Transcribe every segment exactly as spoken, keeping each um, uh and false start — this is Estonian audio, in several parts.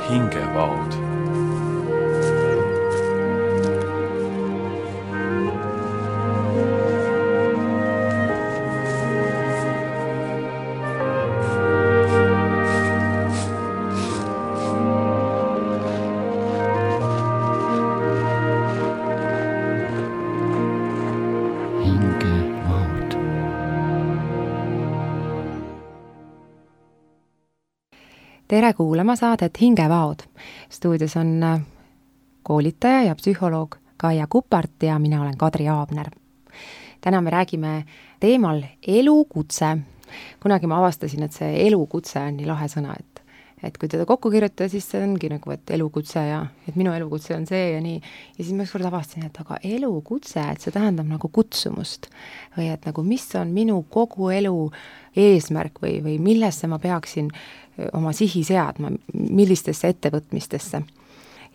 hingevaod. Tere kuulama saadet Hingevaod. Stuudios on koolitaja ja psühholoog Kaia Kupart ja mina olen Kadri Aabner. Täna me räägime teemal elukutse. Kunagi ma avastasin, et see elukutse on nii lahe sõna, et, et kui teda kokku kirjutada, siis see ongi nagu, et elukutse ja et minu elukutse on see ja nii. Ja siis ma ükskord avastasin, et aga elukutse, et see tähendab nagu kutsumust või et nagu mis on minu kogu elu eesmärk või, või millesse ma peaksin oma sihi seadma, millistesse ettevõtmistesse.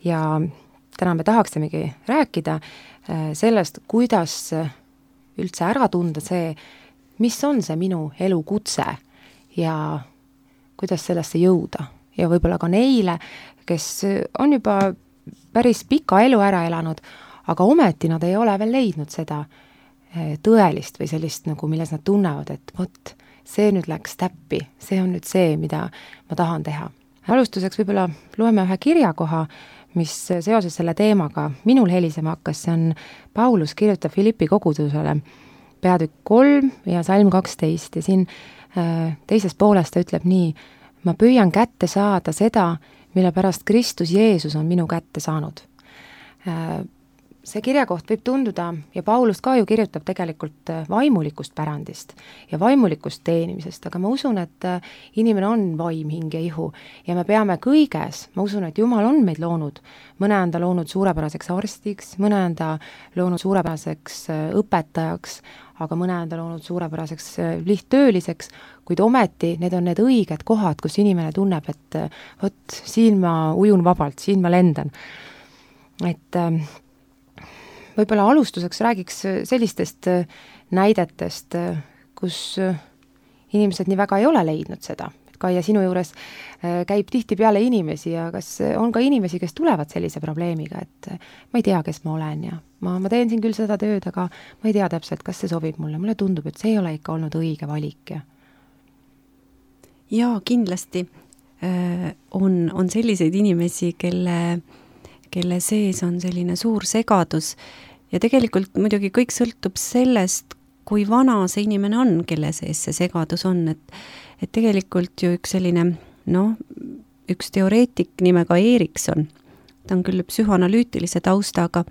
Ja täna me tahaksimegi rääkida sellest, kuidas üldse ära tunda see, mis on see minu elukutse ja kuidas sellesse jõuda. Ja võib-olla ka neile, kes on juba päris pika elu ära elanud, aga ometi nad ei ole veel leidnud seda tõelist või sellist, nagu milles nad tunnevad, et vot, see nüüd läks täppi, see on nüüd see, mida ma tahan teha. Alustuseks võib-olla loeme ühe kirjakoha, mis seoses selle teemaga minul helisema hakkas, see on Paulus kirjutab Filippi kogudusele peatükk kolm ja salm kaksteist ja siin teises pooles ta ütleb nii, ma püüan kätte saada seda, mille pärast Kristus Jeesus on minu kätte saanud. See kirjakoht võib tunduda, ja Paulus ka ju kirjutab tegelikult vaimulikust pärandist ja vaimulikust teenimisest, aga ma usun, et inimene on vaim, hing ja ihu ja me peame kõiges, ma usun, et Jumal on meid loonud, mõne on ta loonud suurepäraseks arstiks, mõne on ta loonud suurepäraseks õpetajaks, aga mõne on ta loonud suurepäraseks lihttööliseks, kuid ometi need on need õiged kohad, kus inimene tunneb, et vot, siin ma ujun vabalt, siin ma lendan. Et võib-olla alustuseks räägiks sellistest näidetest, kus inimesed nii väga ei ole leidnud seda. Kaia, sinu juures käib tihti peale inimesi ja kas on ka inimesi, kes tulevad sellise probleemiga, et ma ei tea, kes ma olen ja ma, ma teen siin küll seda tööd, aga ma ei tea täpselt, kas see sobib mulle. Mulle tundub, et see ei ole ikka olnud õige valik. Ja, ja kindlasti on, on selliseid inimesi, kelle kelle sees on selline suur segadus ja tegelikult muidugi kõik sõltub sellest, kui vana see inimene on, kelle sees see segadus on, et, et tegelikult ju üks selline, noh, üks teoreetik nimega Erikson, ta on küll psühhoanalüütilise taustaga,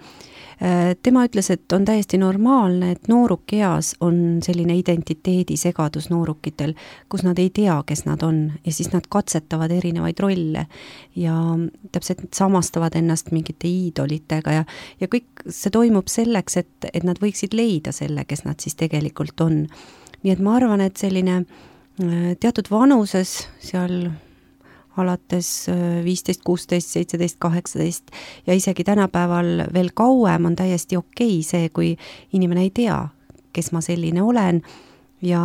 tema ütles, et on täiesti normaalne, et noorukeas on selline identiteedi segadus noorukitel, kus nad ei tea, kes nad on ja siis nad katsetavad erinevaid rolle ja täpselt samastavad ennast mingite iidolitega ja, ja kõik see toimub selleks, et, et nad võiksid leida selle, kes nad siis tegelikult on. Nii et ma arvan, et selline teatud vanuses seal alates viisteist, kuusteist, seitseteist, kaheksateist ja isegi tänapäeval veel kauem on täiesti okei see, kui inimene ei tea, kes ma selline olen ja,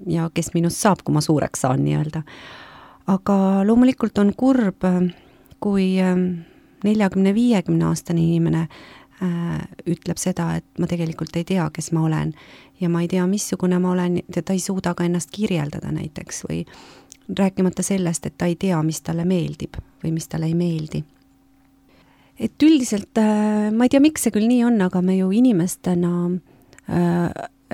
ja kes minust saab, kui ma suureks saan nii-öelda. Aga loomulikult on kurb, kui neljakümne viiekümne aastane inimene äh, ütleb seda, et ma tegelikult ei tea, kes ma olen ja ma ei tea, missugune ma olen ja ta ei suuda ka ennast kirjeldada näiteks või rääkimata sellest, et ta ei tea, mis talle meeldib või mis talle ei meeldi. Et üldiselt, ma ei tea, miks see küll nii on, aga me ju inimestena äh,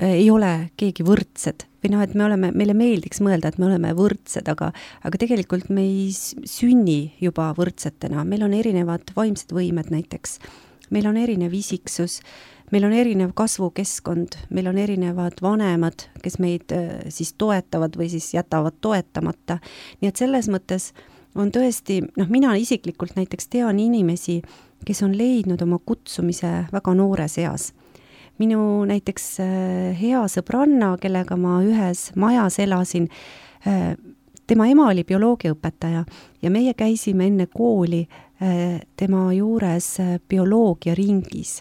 ei ole keegi võrdsed. Või noh, et me oleme, meile meeldiks mõelda, et me oleme võrdsed, aga, aga tegelikult me ei sünni juba võrdsetena. Meil on erinevad vaimsed võimed näiteks. Meil on erinev isiksus, meil on erinev kasvukeskkond, meil on erinevad vanemad, kes meid siis toetavad või siis jätavad toetamata. Nii et selles mõttes on tõesti, noh, mina isiklikult näiteks tean inimesi, kes on leidnud oma kutsumise väga noores eas. Minu näiteks hea sõbranna, kellega ma ühes majas elasin, tema ema oli bioloogiaõpetaja ja meie käisime enne kooli tema juures bioloogia ringis.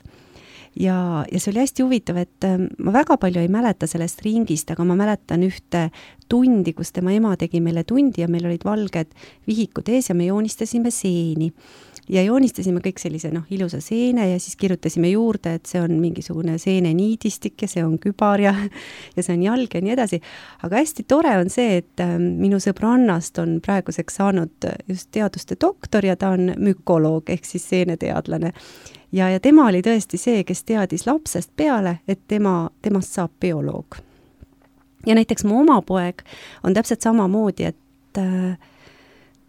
ja, ja see oli hästi huvitav, et ma väga palju ei mäleta sellest ringist, aga ma mäletan ühte tundi, kus tema ema tegi meile tundi ja meil olid valged vihikud ees ja me joonistasime seeni. Ja joonistasime kõik sellise noh, ilusa seene ja siis kirjutasime juurde, et see on mingisugune seeneniidistik ja see on kübar ja, ja see on jalg ja nii edasi. Aga hästi tore on see, et minu sõbrannast on praeguseks saanud just teaduste doktor ja ta on mükoloog ehk siis seeneteadlane. Ja, ja tema oli tõesti see, kes teadis lapsest peale, et tema, temast saab bioloog. Ja näiteks mu oma poeg on täpselt samamoodi, et äh,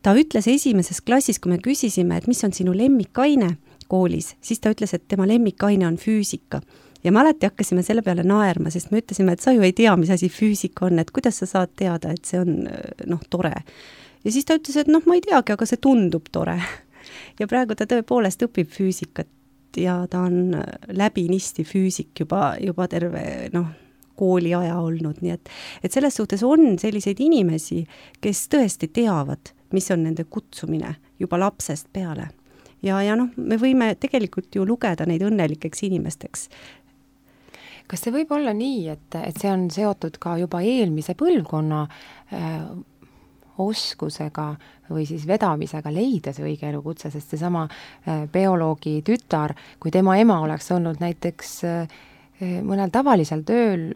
ta ütles esimeses klassis, kui me küsisime, et mis on sinu lemmikaine koolis, siis ta ütles, et tema lemmikaine on füüsika. Ja me alati hakkasime selle peale naerma, sest me ütlesime, et sa ju ei tea, mis asi füüsika on, et kuidas sa saad teada, et see on noh, tore. Ja siis ta ütles, et noh, ma ei teagi, aga see tundub tore. Ja praegu ta tõepoolest õpib füüsikat ja ta on läbinisti füüsik juba, juba terve noh, kooli aja olnud, nii et, et selles suhtes on selliseid inimesi, kes tõesti teavad, mis on nende kutsumine juba lapsest peale. Ja, ja noh, me võime tegelikult ju lugeda neid õnnelikeks inimesteks. Kas see võib olla nii, et, et see on seotud ka juba eelmise põlvkonna äh, oskusega või siis vedamisega leida see õige elukutse, sest seesama äh, bioloogi tütar, kui tema ema oleks olnud näiteks äh, mõnel tavalisel tööl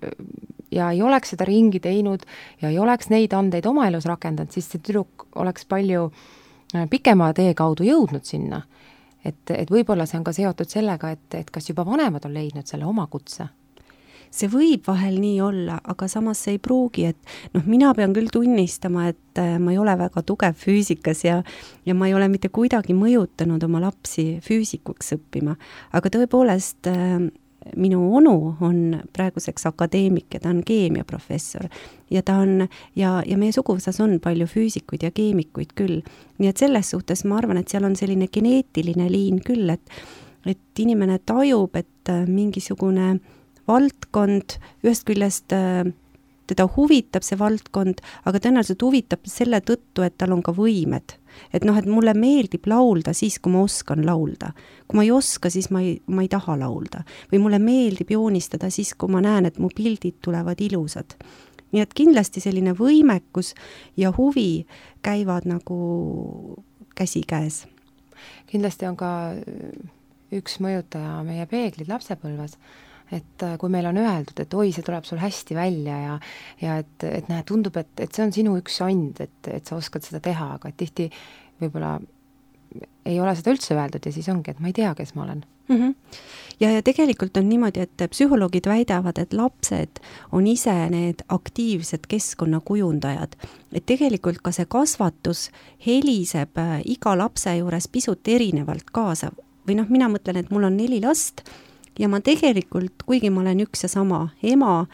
ja ei oleks seda ringi teinud ja ei oleks neid andeid oma elus rakendanud, siis see tüdruk oleks palju pikema tee kaudu jõudnud sinna. Et, et võib-olla see on ka seotud sellega, et, et kas juba vanemad on leidnud selle oma kutse? See võib vahel nii olla, aga samas see ei pruugi, et noh, mina pean küll tunnistama, et ma ei ole väga tugev füüsikas ja, ja ma ei ole mitte kuidagi mõjutanud oma lapsi füüsikuks õppima, aga tõepoolest minu onu on praeguseks akadeemik ja ta on keemiaprofessor ja ta on, ja, ja meie suguvõsas on palju füüsikuid ja keemikuid küll. Nii et selles suhtes ma arvan, et seal on selline geneetiline liin küll, et, et inimene tajub, et mingisugune valdkond ühest küljest teda huvitab see valdkond, aga tõenäoliselt huvitab selle tõttu, et tal on ka võimed. Et noh, et mulle meeldib laulda siis, kui ma oskan laulda. Kui ma ei oska, siis ma ei, ma ei taha laulda. Või mulle meeldib joonistada siis, kui ma näen, et mu pildid tulevad ilusad. Nii et kindlasti selline võimekus ja huvi käivad nagu käsikäes. Kindlasti on ka üks mõjutaja meie peeglid lapsepõlves. Et kui meil on öeldud, et oi, see tuleb sul hästi välja ja, ja et, et näe, tundub, et, et see on sinu üks and, et, et sa oskad seda teha, aga tihti võib-olla ei ole seda üldse öeldud ja siis ongi, et ma ei tea, kes ma olen. Mm-hmm. Ja, ja tegelikult on niimoodi, et psühholoogid väidavad, et lapsed on ise need aktiivsed keskkonnakujundajad. Et tegelikult ka see kasvatus heliseb iga lapse juures pisut erinevalt kaasa. Või noh, mina mõtlen, et mul on neli last ja ma tegelikult, kuigi ma olen üks ja sama ema,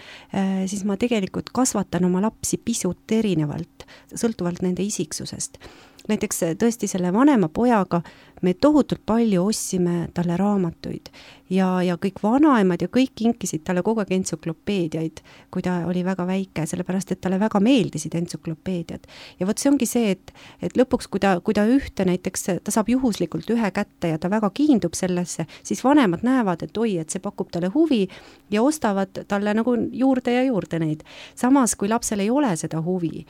siis ma tegelikult kasvatan oma lapsi pisut erinevalt, sõltuvalt nende isiksusest. Näiteks tõesti selle vanema pojaga me tohutult palju ostsime talle raamatuid ja, ja kõik vanaemad ja kõik kinkisid talle kogu aeg entsüklopeediaid, kui ta oli väga väike, sellepärast et talle väga meeldisid entsüklopeediad. Ja võt see ongi see, et, et lõpuks, kui ta, kui ta ühte näiteks, ta saab juhuslikult ühe kätte ja ta väga kiindub sellesse, siis vanemad näevad, et oi, et see pakub talle huvi ja ostavad talle nagu juurde ja juurde neid. Samas, kui lapsel ei ole seda huvi,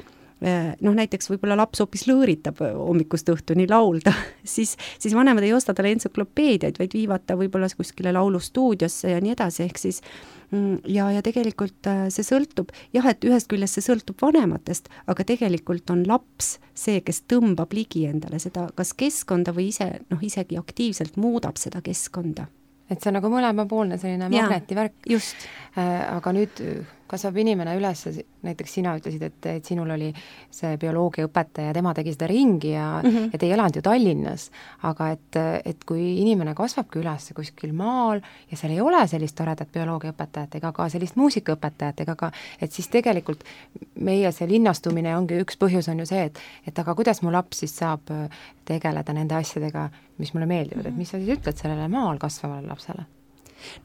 noh näiteks võib-olla laps hoopis lõõritab hommikust õhtuni laulda, siis, siis vanemad ei osta talle entsüklopeediaid, vaid viivad ta võib-olla kuskile laulustuudiosse ja nii edasi, ehk siis ja, ja tegelikult see sõltub, jah, et ühest küljest see sõltub vanematest, aga tegelikult on laps see, kes tõmbab ligi endale seda, kas keskkonda või ise, noh isegi aktiivselt muudab seda keskkonda. Et see on nagu mõlemapoolne selline magnetivärk. Just. Aga nüüd kasvab inimene üles, näiteks sina ütlesid, et, et sinul oli see bioloogiaõpetaja, tema tegi seda ringi ja mm -hmm. et ei elanud ju Tallinnas, aga et, et kui inimene kasvabki üles kuskil maal ja seal ei ole sellist toredat bioloogiaõpetajat ega ka sellist muusikaõpetajat ega ka, et siis tegelikult meie see linnastumine ongi üks põhjus on ju see, et, et aga kuidas mu laps siis saab tegeleda nende asjadega, mis mulle meeldivad, et mis sa siis ütled sellele maal kasvavale lapsele?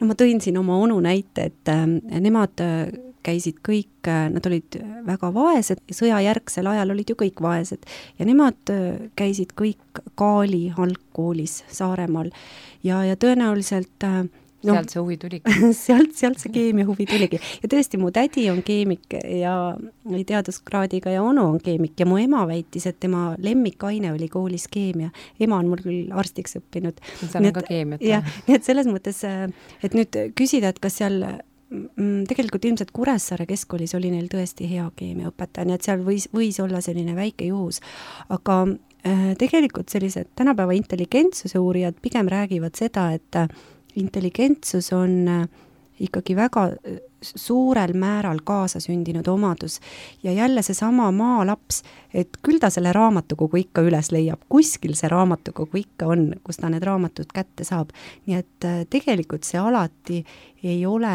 No ma tõin siin oma onu näite, et äh, nemad äh, käisid kõik, äh, nad olid väga vaesed, sõjajärgsel ajal olid ju kõik vaesed ja nemad äh, käisid kõik Kaali algkoolis Saaremaal ja, ja tõenäoliselt äh, no, sealt see huvi tuligi sealt, sealt see keemia huvi tuligi. Ja tõesti, mu tädi on keemik ja teaduskraadiga ja onu on keemik ja mu ema väitis, et tema lemmikaine oli koolis keemia. Ema on mul küll arstiks õppinud. seal on ka keemiat. Ja, nii et selles mõttes, et nüüd küsida, et kas seal tegelikult ilmselt Kuressaare keskkoolis oli neil tõesti hea keemiaõpetaja, nii et seal võis, võis olla selline väike juhus. Aga äh, tegelikult sellised tänapäeva intelligentsuse uurijad pigem räägivad seda, et intelligentsus on äh, ikkagi väga suurel määral kaasasündinud omadus ja jälle seesama maalaps, et küll ta selle raamatukogu ikka üles leiab, kuskil see raamatukogu ikka on, kus ta need raamatud kätte saab. Nii et äh, tegelikult see alati ei ole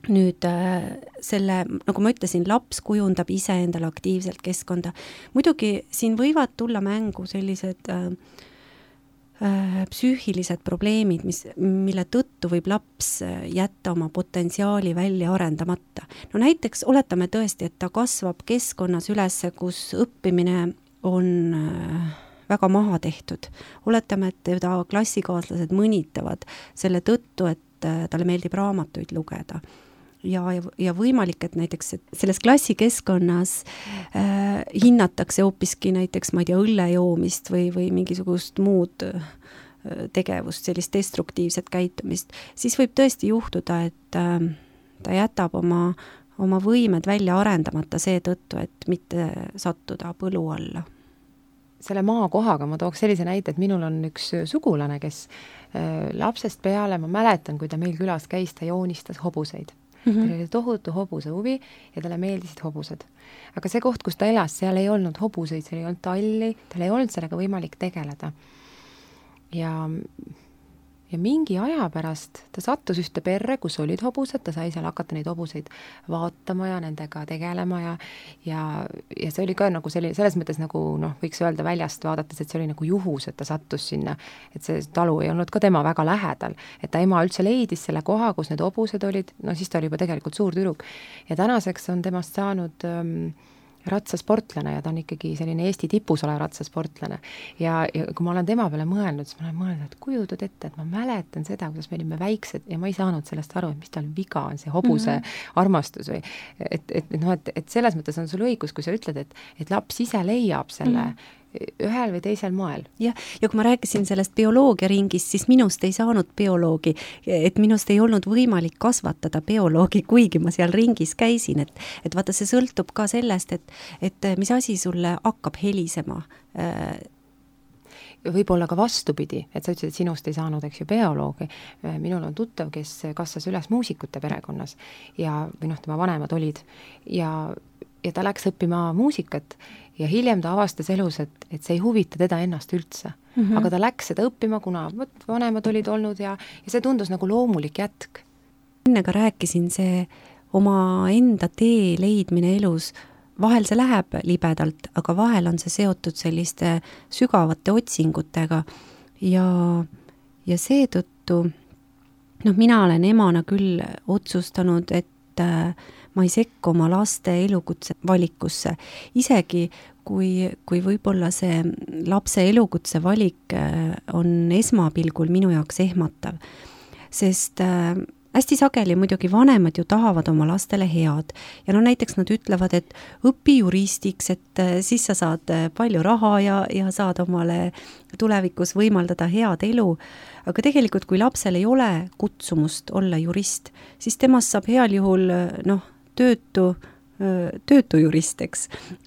nüüd äh, selle, nagu ma ütlesin, laps kujundab ise endale aktiivselt keskkonda. Muidugi siin võivad tulla mängu sellised äh, äh, psüühilised probleemid, mis, mille tõttu võib laps jätta oma potentsiaali välja arendamata. No näiteks oletame tõesti, et ta kasvab keskkonnas üles, kus õppimine on äh, väga maha tehtud. Oletame, et teda klassikaaslased mõnitavad selle tõttu, et äh, talle meeldib raamatuid lugeda. Ja, ja, ja võimalik, et näiteks et selles klassikeskkonnas äh, hinnatakse hoopiski näiteks, ma ei tea, õlle joomist või, või mingisugust muud äh, tegevust, sellist destruktiivset käitumist, siis võib tõesti juhtuda, et äh, ta jätab oma, oma võimed välja arendamata seetõttu, et mitte sattuda põlu alla. Selle maakohaga ma tooks sellise näite, et minul on üks sugulane, kes äh, lapsest peale, ma mäletan, kui ta meil külas käis, ta joonistas hobuseid. Mm-hmm. Tal oli tohutu hobuse huvi ja talle meeldisid hobused. Aga see koht, kus ta elas, seal ei olnud hobuseid, seal ei olnud talli, tal ei olnud sellega võimalik tegeleda. Ja, ja mingi aja pärast ta sattus ühte perre, kus olid hobused, ta sai seal hakata neid hobuseid vaatama ja nendega tegelema ja, ja, ja see oli ka nagu selline, selles mõttes nagu, noh, võiks öelda väljast vaadates, et see oli nagu juhus, et ta sattus sinna, et see talu ei olnud ka tema väga lähedal, et ta ema üldse leidis selle koha, kus need hobused olid, no siis ta oli juba tegelikult suur tüdruk ja tänaseks on temast saanud ähm, ratsasportlane ja ta on ikkagi selline Eesti tipus olev ratsasportlane. Ja, ja kui ma olen tema peale mõelnud, siis ma olen mõelnud, et kujutad ette, et ma mäletan seda, kuidas me olime väiksed ja ma ei saanud sellest aru, et mis tal viga on, see hobuse mm-hmm. armastus või et, et, no, et, et selles mõttes on sul õigus, kui sa ütled, et, et laps ise leiab selle mm-hmm. ühel või teisel moel. Ja, ja kui ma rääkisin sellest bioloogia ringist, siis minust ei saanud bioloogi, et minust ei olnud võimalik kasvatada bioloogi, kuigi ma seal ringis käisin, et, et vaata, see sõltub ka sellest, et, et mis asi sulle hakkab helisema. Võib-olla ka vastupidi, et sa ütlesid, et sinust ei saanud, eks ju, bioloogi. Minul on tuttav, kes kasvas üles muusikute perekonnas ja, või noh, tema vanemad olid ja, ja ta läks õppima muusikat ja hiljem ta avastas elus, et, et see ei huvita teda ennast üldse. Mm-hmm. Aga ta läks seda õppima, kuna võt, vanemad olid olnud ja, ja see tundus nagu loomulik jätk. Enne ka rääkisin, see oma enda tee leidmine elus, vahel see läheb libedalt, aga vahel on see seotud selliste sügavate otsingutega ja, ja seetõttu, noh, mina olen emana küll otsustanud, et äh, ma ei sekku oma laste elukutse valikusse, isegi kui, kui võib-olla see lapse elukutse valik on esmapilgul minu jaoks ehmatav. Sest äh, hästi sageli muidugi vanemad ju tahavad oma lastele head ja no näiteks nad ütlevad, et õpi juristiks, et äh, siis sa saad palju raha ja, ja saad omale tulevikus võimaldada head elu. Aga tegelikult, kui lapsel ei ole kutsumust olla jurist, siis temast saab heal juhul, noh, töötu, töötu jurist, eks.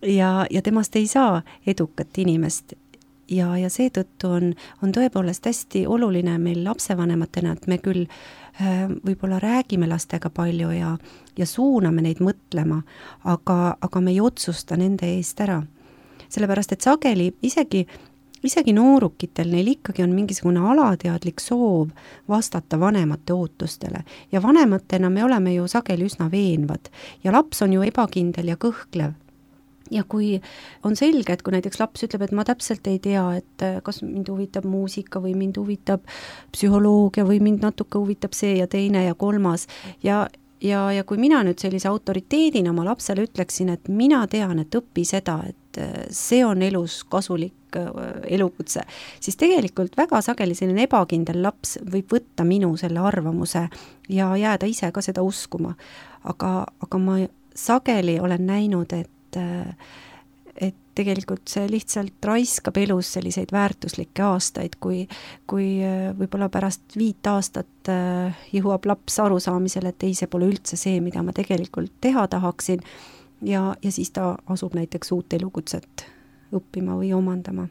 Ja, ja temast ei saa edukat inimest. Ja, ja seetõttu on, on tõepoolest hästi oluline meil lapsevanematena, et me küll äh, võib-olla räägime lastega palju ja, ja suuname neid mõtlema, aga, aga me ei otsusta nende eest ära. Sellepärast, et sageli isegi Isegi noorukitel neil ikkagi on mingisugune alateadlik soov vastata vanemate ootustele ja vanematena me oleme ju sageli üsna veenvad ja laps on ju ebakindel ja kõhklev. Ja kui on selge, et kui näiteks laps ütleb, et ma täpselt ei tea, et kas mind huvitab muusika või mind huvitab psühholoogia või mind natuke huvitab see ja teine ja kolmas ja Ja, ja kui mina nüüd sellise autoriteedina oma lapsele ütleksin, et mina tean, et õpi seda, et see on elus kasulik elukutse, siis tegelikult väga sageli selline ebakindel laps võib võtta minu selle arvamuse ja jääda ise ka seda uskuma. Aga, aga ma sageli olen näinud, et, et tegelikult see lihtsalt raiskab elus selliseid väärtuslikke aastaid, kui, kui võib-olla pärast viit aastat jõuab laps arusaamisele, et ei, see pole üldse see, mida ma tegelikult teha tahaksin, ja, ja siis ta asub näiteks uut elukutset õppima või omandama.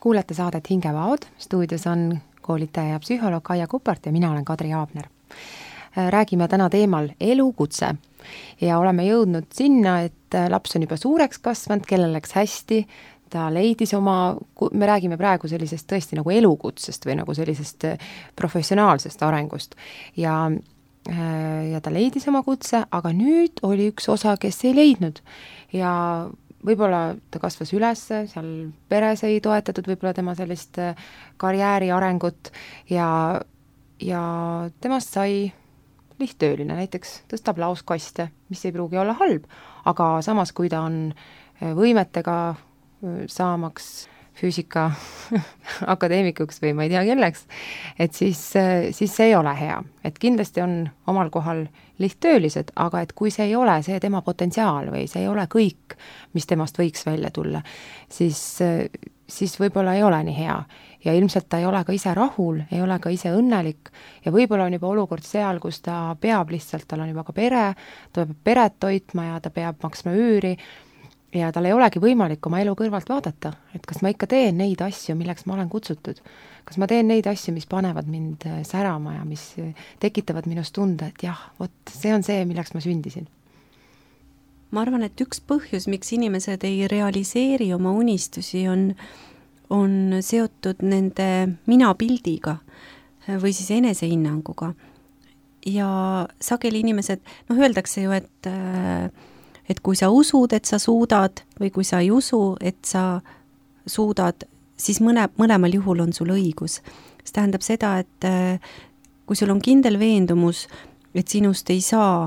Kuulete saadet Hingevaod, stuudios on koolitaja ja psühholoog Kaia Kupart ja mina olen Kadri Aabner. Räägime täna teemal elukutse ja oleme jõudnud sinna, et laps on juba suureks kasvanud, kellel läks hästi, ta leidis oma, me räägime praegu sellisest tõesti nagu elukutsest või nagu sellisest professionaalsest arengust ja, ja ta leidis oma kutse, aga nüüd oli üks osa, kes ei leidnud ja võib-olla ta kasvas üles, seal peres ei toetatud võib-olla tema sellist karjääri arengut ja, ja temast sai lihttööline, näiteks tõstab laoskaste, mis ei pruugi olla halb, aga samas, kui ta on võimetega saamaks füüsika akadeemikuks või ma ei tea kelleks, et siis, siis see ei ole hea. Et kindlasti on omal kohal lihttöölised, aga et kui see ei ole see tema potentsiaal või see ei ole kõik, mis temast võiks välja tulla, siis, siis võib-olla ei ole nii hea. Ja ilmselt ta ei ole ka ise rahul, ei ole ka ise õnnelik ja võib-olla on juba olukord seal, kus ta peab lihtsalt, tal on juba ka pere, ta peab peret toitma ja ta peab maksma üüri ja tal ei olegi võimalik oma elu kõrvalt vaadata, et kas ma ikka teen neid asju, milleks ma olen kutsutud. Kas ma teen neid asju, mis panevad mind särama ja mis tekitavad minust tunde, et jah, vot see on see, milleks ma sündisin. Ma arvan, et üks põhjus, miks inimesed ei realiseeri oma unistusi, on, on seotud nende minapildiga või siis enesehinnanguga. Ja sageli inimesed, noh öeldakse ju, et et kui sa usud, et sa suudad või kui sa ei usu, et sa suudad, siis mõne, mõlemal juhul on sul õigus. See tähendab seda, et kui sul on kindel veendumus, et sinust ei saa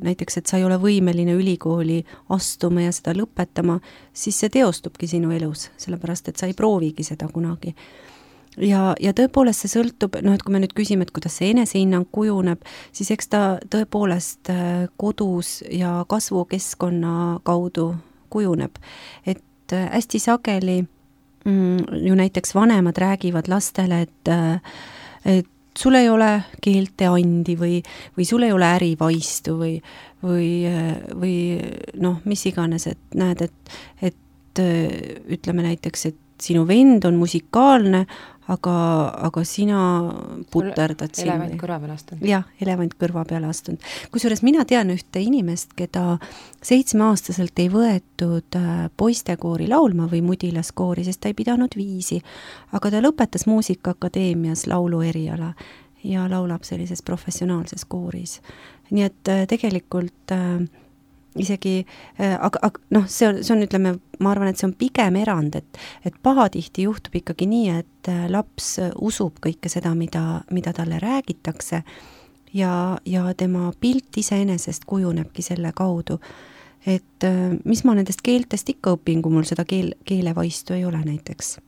näiteks, et sa ei ole võimeline ülikooli astuma ja seda lõpetama, siis see teostubki sinu elus, sellepärast et sa ei proovigi seda kunagi. Ja, ja tõepoolest see sõltub, noh, et kui me nüüd küsime, et kuidas see enesehinnang kujuneb, siis eks ta tõepoolest kodus ja kasvukeskkonna kaudu kujuneb. Et hästi sageli mm, ju näiteks vanemad räägivad lastele, et, et sul ei ole keelteandi või, või sul ei ole ärivaistu või, või, või noh, mis iganes, et näed, et, et ütleme näiteks, et sinu vend on musikaalne, aga, aga sina puterdad siin. Elevant kõrva peale astunud. Jah, elevant kõrva peale astunud. Kusjuures mina tean ühte inimest, keda seitsmeaastaselt ei võetud poistekoori laulma või mudilaskoori, sest ta ei pidanud viisi. Aga ta lõpetas Muusikaakadeemias laulu eriala ja laulab sellises professionaalses kooris. Nii et tegelikult äh, isegi, aga, aga noh, see on, see on, ütleme, ma arvan, et see on pigem erand, et, et pahatihti juhtub ikkagi nii, et laps usub kõike seda, mida, mida talle räägitakse ja, ja tema pilt iseenesest kujunebki selle kaudu. Et mis ma nendest keeltest ikka õpin, kui mul seda keel, keelevaistu ei ole näiteks.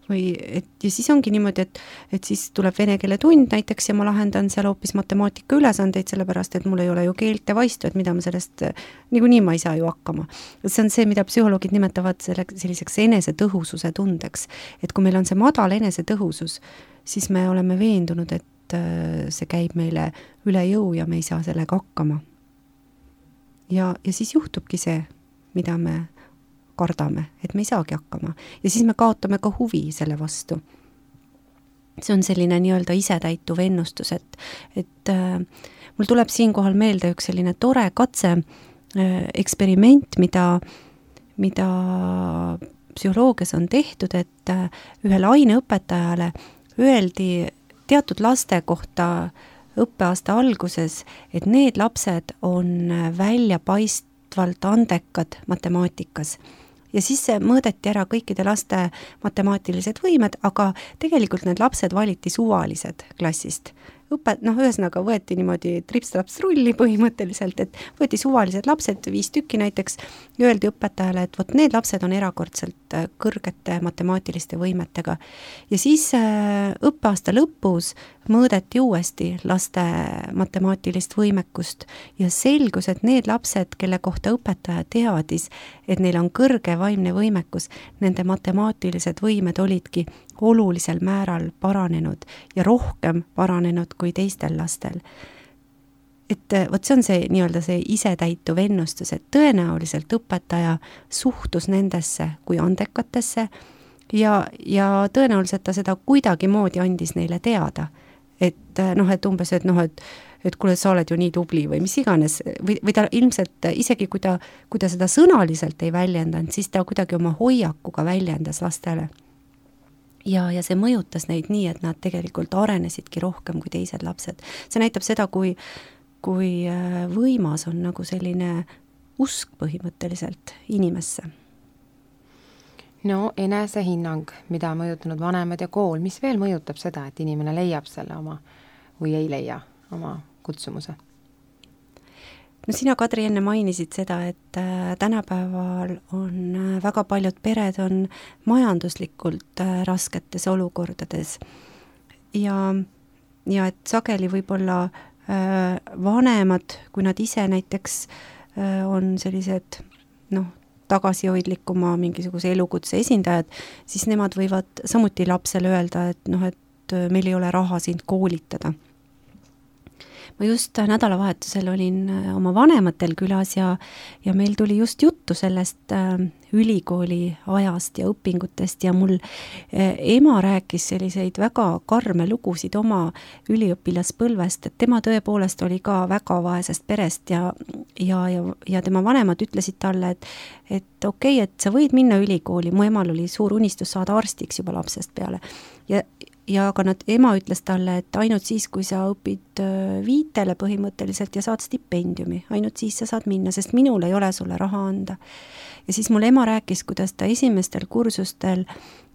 Või, et, ja siis ongi niimoodi, et, et siis tuleb vene keele tund näiteks ja ma lahendan seal hoopis matemaatika ülesandeid, sellepärast et mul ei ole ju keelte vaistu, et mida ma sellest, niikuinii ma ei saa ju hakkama. See on see, mida psühholoogid nimetavad selle, selliseks enesetõhususe tundeks. Et kui meil on see madal enesetõhusus, siis me oleme veendunud, et see käib meile üle jõu ja me ei saa sellega hakkama. Ja, ja siis juhtubki see, mida me kardame, et me ei saagi hakkama. Ja siis me kaotame ka huvi selle vastu. See on selline nii-öelda isetäituv ennustus, et, et äh, mul tuleb siinkohal meelde üks selline tore katse äh, eksperiment, mida, mida psühholoogias on tehtud, et äh, ühele aineõpetajale öeldi teatud laste kohta õppeaasta alguses, et need lapsed on väljapaistvalt andekad matemaatikas. Ja siis mõõdeti ära kõikide laste matemaatilised võimed, aga tegelikult need lapsed valiti suvalised klassist. Õpet, noh, ühesõnaga võeti niimoodi trips-traps rulli põhimõtteliselt, et võeti suvalised lapsed, viis tükki näiteks, ja öeldi õpetajale, et vot need lapsed on erakordselt kõrgete matemaatiliste võimetega. Ja siis õppeaasta lõpus mõõdeti uuesti laste matemaatilist võimekust ja selgus, et need lapsed, kelle kohta õpetaja teadis, et neil on kõrge vaimne võimekus, nende matemaatilised võimed olidki olulisel määral paranenud ja rohkem paranenud kui teistel lastel. Et võt see on see nii-öelda see isetäituv ennustus, et tõenäoliselt õpetaja suhtus nendesse kui andekatesse ja, ja tõenäoliselt ta seda kuidagi moodi andis neile teada. Et noh, et umbes, et noh, et, et kuule, sa oled ju nii tubli või mis iganes, või, või ta ilmselt isegi kui ta, kui ta seda sõnaliselt ei väljendanud, siis ta kuidagi oma hoiakuga väljendas lastele. Ja, ja see mõjutas neid nii, et nad tegelikult arenesidki rohkem kui teised lapsed. See näitab seda, kui, kui võimas on nagu selline usk põhimõtteliselt inimesse. No enesehinnang, mida on mõjutanud vanemad ja kool, mis veel mõjutab seda, et inimene leiab selle oma või ei leia oma kutsumuse? No sina, Kadri, enne mainisid seda, et äh, tänapäeval on äh, väga paljud pered on majanduslikult äh, rasketes olukordades ja, ja et sageli võib-olla äh, vanemad, kui nad ise näiteks äh, on sellised noh, tagasihoidlikuma mingisuguse elukutse esindajad, siis nemad võivad samuti lapsele öelda, et noh, et meil ei ole raha sind koolitada. Ma just nädalavahetusel olin oma vanematel külas ja, ja meil tuli just juttu sellest äh, ülikooli ajast ja õpingutest ja mul äh, ema rääkis selliseid väga karme lugusid oma üliõpilaspõlvest, et tema tõepoolest oli ka väga vaesest perest ja, ja, ja, ja tema vanemad ütlesid talle, et, et okei, okay, et sa võid minna ülikooli, mu emal oli suur unistus saada arstiks juba lapsest peale ja Ja aga nad, ema ütles talle, et ainult siis, kui sa õpid viitele põhimõtteliselt ja saad stipendiumi, ainult siis sa saad minna, sest minul ei ole sulle raha anda. Ja siis mul ema rääkis, kuidas ta esimestel kursustel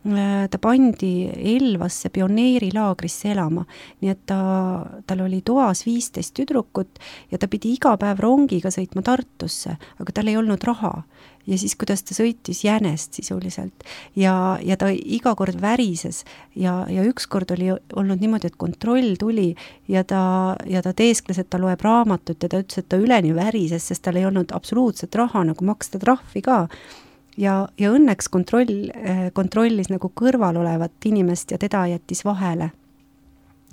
ta pandi Elvasse pioneerilaagrisse elama, nii et ta, tal oli toas viisteist tüdrukut ja ta pidi iga päev rongiga sõitma Tartusse, aga tal ei olnud raha. Ja siis, kuidas ta sõitis jänest sisuliselt ja, ja ta iga kord värises ja, ja üks kord oli olnud niimoodi, et kontroll tuli ja ta, ja ta teeskles, et ta loeb raamatut ja ta ütles, et ta üleni värises, sest tal ei olnud absoluutselt raha nagu maksta trahvi ka. Ja, ja õnneks kontroll, kontrollis nagu kõrval olevat inimest ja teda jättis vahele.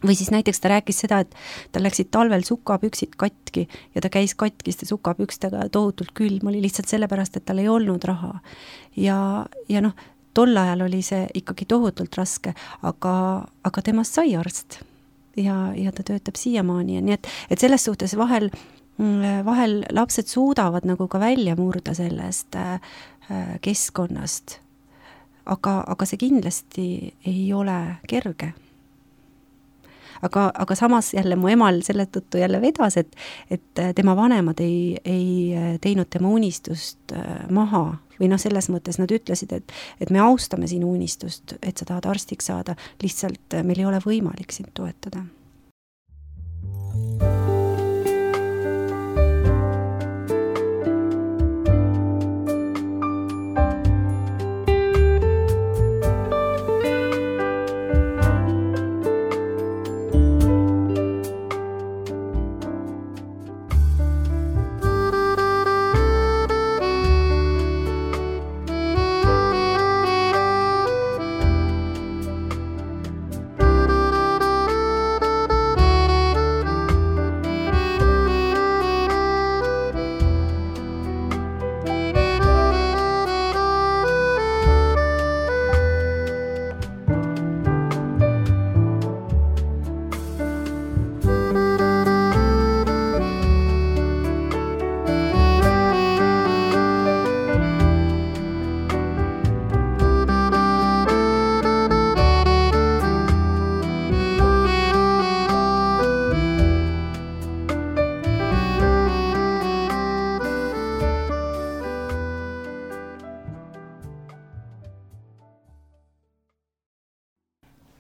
või siis näiteks ta rääkis seda, et tal läksid talvel sukapüksid katki ja ta käis katkiste sukapükstega tohutult külm, oli lihtsalt sellepärast, et tal ei olnud raha. Ja, ja noh, tol ajal oli see ikkagi tohutult raske, aga, aga temast sai arst ja, ja ta töötab siiamaani ja nii, et, et selles suhtes vahel, vahel lapsed suudavad nagu ka välja murda sellest keskkonnast, aga, aga see kindlasti ei ole kerge. Aga, aga samas jälle mu emal selle tõttu jälle vedas, et, et tema vanemad ei, ei teinud tema unistust maha või noh, selles mõttes nad ütlesid, et, et me austame sinu unistust, et sa tahad arstiks saada, lihtsalt meil ei ole võimalik sind toetada.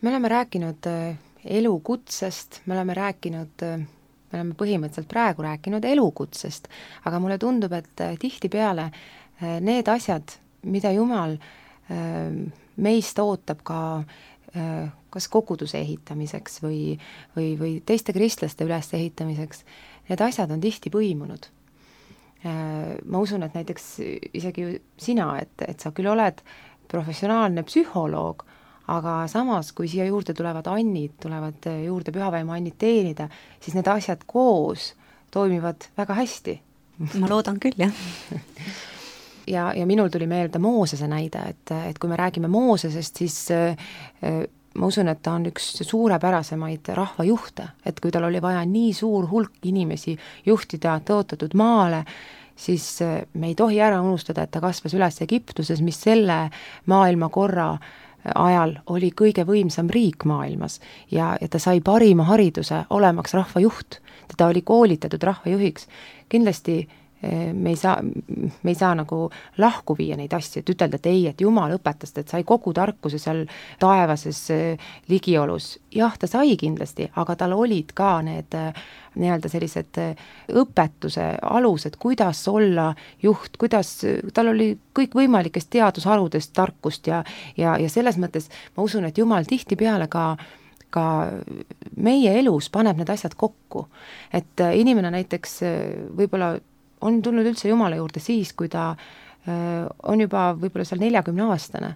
Me oleme rääkinud elukutsest, me oleme rääkinud, me oleme põhimõtteliselt praegu rääkinud elukutsest, aga mulle tundub, et tihtipeale need asjad, mida Jumal meist ootab ka kas koguduse ehitamiseks või, või, või teiste kristlaste ülesehitamiseks, need asjad on tihti põimunud. Ma usun, et näiteks isegi sina, et, et sa küll oled professionaalne psühholoog, aga samas, kui siia juurde tulevad annid, tulevad juurde pühavaimu annid teenida, siis need asjad koos toimivad väga hästi. Ma loodan küll, jah. ja, ja minul tuli meelde Moosese näide, et, et kui me räägime Moosesest, siis äh, ma usun, et ta on üks suurepärasemaid rahvajuhte, et kui tal oli vaja nii suur hulk inimesi juhtida tõotatud maale, siis me ei tohi ära unustada, et ta kasvas üles Egiptuses, mis selle maailma korra ajal oli kõige võimsam riik maailmas ja, ja ta sai parima hariduse olemaks rahvajuht. Teda oli koolitatud rahvajuhiks. Kindlasti me ei saa, me ei saa nagu lahku viia neid asju, et ütelda, et ei, et Jumal õpetas, et sai kogu tarkuse seal taevases ligiolus. Jah, ta sai kindlasti, aga tal olid ka need nii-öelda sellised õpetuse alused, kuidas olla juht, kuidas, tal oli kõik võimalikest teadusharudest tarkust ja, ja, ja selles mõttes ma usun, et Jumal tihtipeale ka ka meie elus paneb need asjad kokku. Et inimene näiteks võib-olla on tulnud üldse Jumala juurde siis, kui ta öö, on juba võib-olla seal neljakümne aastane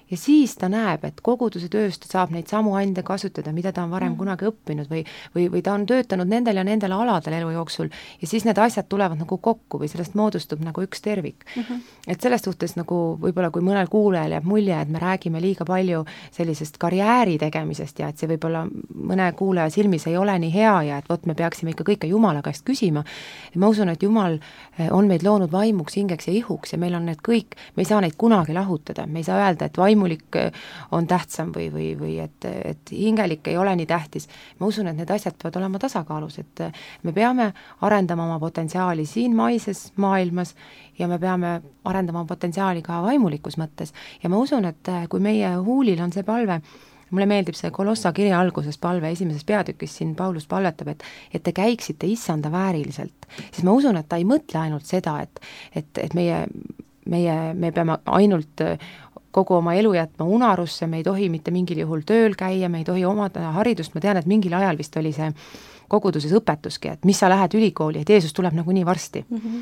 ja siis ta näeb, et koguduse tööst saab neid samu ande kasutada, mida ta on varem mm. kunagi õppinud või, või, või ta on töötanud nendel ja nendel aladel elu jooksul ja siis need asjad tulevad nagu kokku või sellest moodustub nagu üks tervik. Mm-hmm. Et selles suhtes nagu võib-olla kui mõnel kuulajal jääb mulje, et me räägime liiga palju sellisest karjääri tegemisest ja et see võib-olla mõne kuulaja silmis ei ole nii hea ja et võt, me peaksime ikka kõike Jumala käest küsima. Ja ma usun, et Jumal on meid loonud vaimuks, hingeks ja ihuks ja meil on need kõik, me ei saa neid kunagi lahutada, me ei saa öelda, et vaim vaimulik on tähtsam või, või, või et, et hingelik ei ole nii tähtis. Ma usun, et need asjad peavad olema tasakaalus, et me peame arendama oma potentsiaali siin maises maailmas ja me peame arendama potentsiaali ka vaimulikus mõttes. Ja ma usun, et kui meie huulil on see palve, mulle meeldib see Kolossa kirja alguses palve esimeses peatükis siin Paulus palvetab, et, et te käiksite issanda vääriliselt. Siis ma usun, et ta ei mõtle ainult seda, et, et, et meie, meie, me peame ainult kogu oma elu jätma unarusse, me ei tohi mitte mingil juhul tööl käia, me ei tohi omada haridust, ma tean, et mingil ajal vist oli see koguduses õpetuski, et mis sa lähed ülikooli, et Jeesus tuleb nagu nii varsti. Mm-hmm.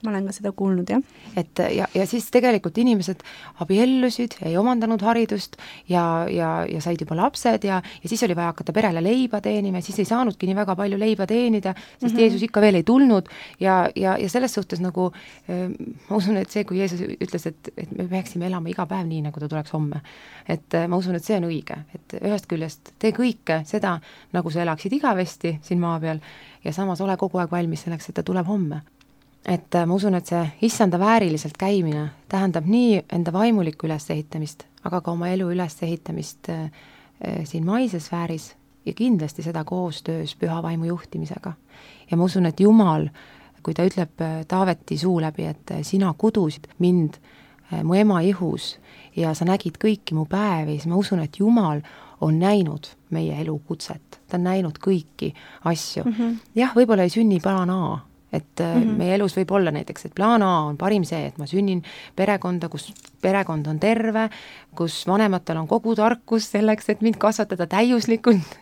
ma olen ka seda kuulnud, jah. et ja, ja siis tegelikult inimesed abiellusid, ei omandanud haridust ja, ja, ja said juba lapsed ja, ja siis oli vaja hakata perele leiba teenima, siis ei saanudki nii väga palju leiba teenida, sest mm -hmm. Jeesus ikka veel ei tulnud ja, ja, ja selles suhtes nagu ma usun, et see, kui Jeesus ütles, et, et me peaksime elama iga päev nii, nagu ta tuleks homme, et ma usun, et see on õige, et ühest küljest tee kõike seda, nagu sa elaksid igavesti siin maa peal ja samas ole kogu aeg valmis selleks, et ta tuleb homme. Et ma usun, et see issanda vääriliselt käimine tähendab nii enda vaimulikku ülesehitamist, aga ka oma elu ülesehitamist äh, siin maises sfääris ja kindlasti seda koostöös püha vaimu juhtimisega. Ja ma usun, et Jumal, kui ta ütleb Taaveti suu läbi, et sina kudusid mind äh, mu ema ihus ja sa nägid kõiki mu päevi, siis ma usun, et Jumal on näinud meie elu kutset, ta on näinud kõiki asju. Mm -hmm. jah, võib-olla ei sünni plaan A, et mm-hmm. meie elus võib olla näiteks, et plaan A on parim see, et ma sünnin perekonda, kus perekond on terve, kus vanematel on kogu tarkus selleks, et mind kasvatada täiuslikult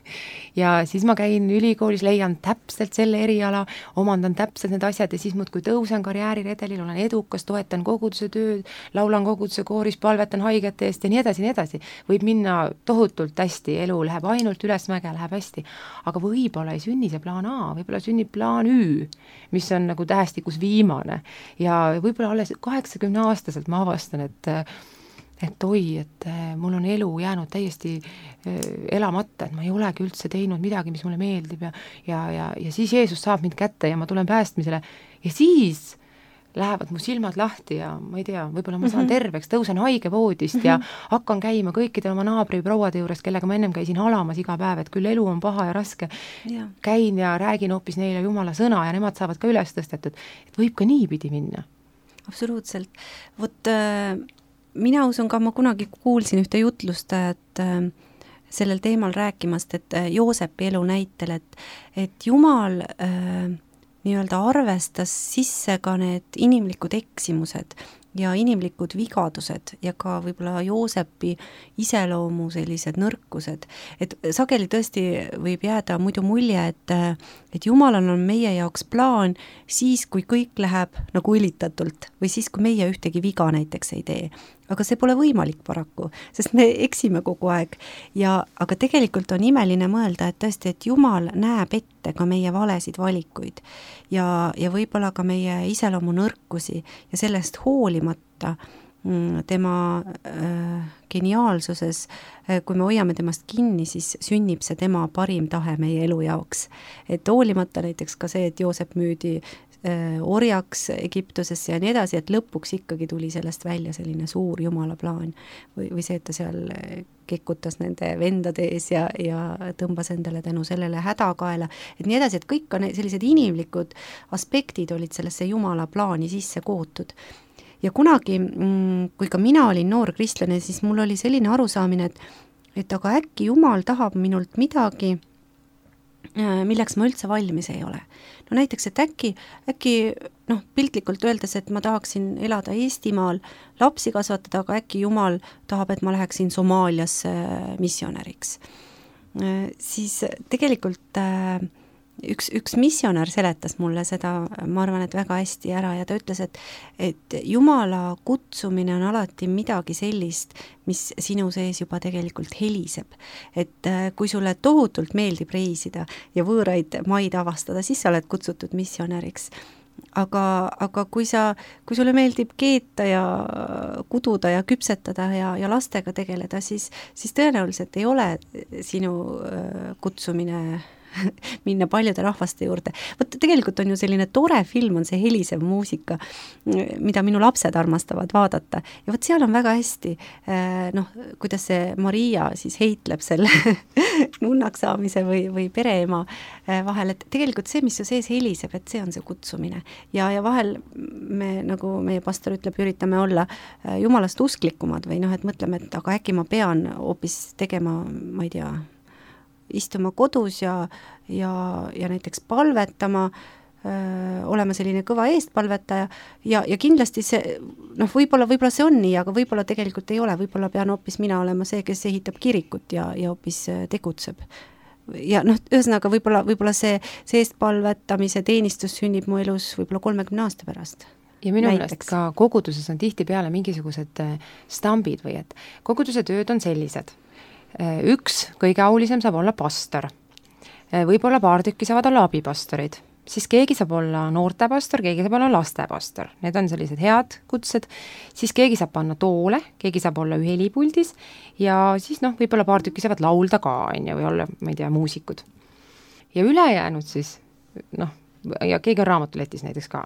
ja siis ma käin ülikoolis, leian täpselt selle eriala, omandan täpselt need asjad ja siis muudkui tõusen karjääriredelil, olen edukas, toetan koguduse tööd, laulan koguduse kooris, palvetan haigete eest ja nii edasi, nii edasi. Võib minna tohutult hästi, elu läheb ainult ülesmäge, läheb hästi, aga võib-olla ei sünni see plaan A, võib-olla sünnib plaan Ü, mis on nagu tähestikus viimane ja võib-olla alles kaheksakümne aastaselt ma avastan, et et oi, et mul on elu jäänud täiesti elamata, et ma ei olegi üldse teinud midagi, mis mulle meeldib ja, ja, ja, ja siis Jeesus saab mind kätte ja ma tulen päästmisele ja siis lähevad mu silmad lahti ja ma ei tea, võib-olla ma saan terveks, tõusen haigevoodist ja hakkan käima kõikide oma naabriprouade juures, kellega ma ennem käisin halamas iga päev, et küll elu on paha ja raske. Ja. Käin ja räägin hoopis neile Jumala sõna ja nemad saavad ka üles tõstetud, et võib ka niipidi minna. Absoluutselt. Vot äh, mina usun ka, ma kunagi kuulsin ühte jutlustajat äh, sellel teemal rääkimast, et äh, Joosepi elu näitel, et, et Jumal äh, nii-öelda arvestas sisse ka need inimlikud eksimused ja inimlikud vigadused ja ka võib-olla Joosepi iseloomu sellised nõrkused. Et sageli tõesti võib jääda muidu mulje, et, et Jumalal on meie jaoks plaan siis, kui kõik läheb nagu ülitatult või siis, kui meie ühtegi viga näiteks ei tee. Aga see pole võimalik paraku, sest me eksime kogu aeg. Ja, aga tegelikult on imeline mõelda, et tõesti, et Jumal näeb ette ka meie valesid valikuid ja, ja võib-olla ka meie iseloomu nõrkusi ja sellest hoolimata tema äh, geniaalsuses, kui me hoiame temast kinni, siis sünnib see tema parim tahe meie elu jaoks. Et hoolimata näiteks ka see, et Joosep müüdi orjaks Egiptusesse ja nii edasi, et lõpuks ikkagi tuli sellest välja selline suur Jumala plaan või, või see, et ta seal kekutas nende vendade ees ja, ja tõmbas endale tänu sellele hädakaela, et nii edasi, et kõik on sellised inimlikud aspektid olid sellesse Jumala plaani sisse kootud. Ja kunagi, kui ka mina olin noor kristlane, siis mul oli selline arusaamine, et, et aga äkki Jumal tahab minult midagi, milleks ma üldse valmis ei ole. No näiteks, et äkki, äkki noh, piltlikult öeldes, et ma tahaksin elada Eestimaal, lapsi kasvatada, aga äkki Jumal tahab, et ma läheksin Somaaliasse missionäriks. Siis tegelikult üks, üks missionär seletas mulle seda, ma arvan, et väga hästi ära ja ta ütles, et, et Jumala kutsumine on alati midagi sellist, mis sinu sees juba tegelikult heliseb. Et kui sulle tohutult meeldib reisida ja võõraid maid avastada, siis sa oled kutsutud missionäriks. Aga, aga kui sa, kui sulle meeldib keeta ja kududa ja küpsetada ja, ja lastega tegeleda, siis, siis tõenäoliselt ei ole sinu kutsumine minna paljude rahvaste juurde. Võt, tegelikult on ju selline tore film, on see helisev muusika, mida minu lapsed armastavad vaadata. Ja võt seal on väga hästi, noh, kuidas see Maria siis heitleb selle nunnaks saamise või, või pereema vahel, et tegelikult see, mis su sees heliseb, et see on see kutsumine. Ja, ja vahel me, nagu meie pastor ütleb, üritame olla Jumalast usklikumad või noh, et mõtleme, et aga äkki ma pean hoopis tegema, ma ei tea, istuma kodus ja, ja, ja näiteks palvetama, öö, olema selline kõva eestpalvetaja ja, ja kindlasti see, noh, võib-olla, võib-olla see on nii, aga võib-olla tegelikult ei ole, võib-olla pean hoopis mina olema see, kes ehitab kirikut ja, ja hoopis tegutseb. Ja noh, ühesõnaga võib-olla, võib-olla see, see eestpalvetamise teenistus sünnib mu elus võib-olla kolmekümne aasta pärast. ja minu meelest ka koguduses on tihtipeale mingisugused stambid või et koguduse tööd on sellised. Üks kõige aulisem saab olla pastor. Võib-olla paar tükki saavad olla abipastorid. Siis keegi saab olla noortepastor, keegi saab olla lastepastor. Need on sellised head kutsed. Siis keegi saab panna toole, keegi saab olla helipuldis ja siis noh, võib-olla paar tükki saavad laulda ka, on ju, või olla, ma ei tea, muusikud. Ja ülejäänud siis, noh, ja keegi on raamatuletis näiteks ka.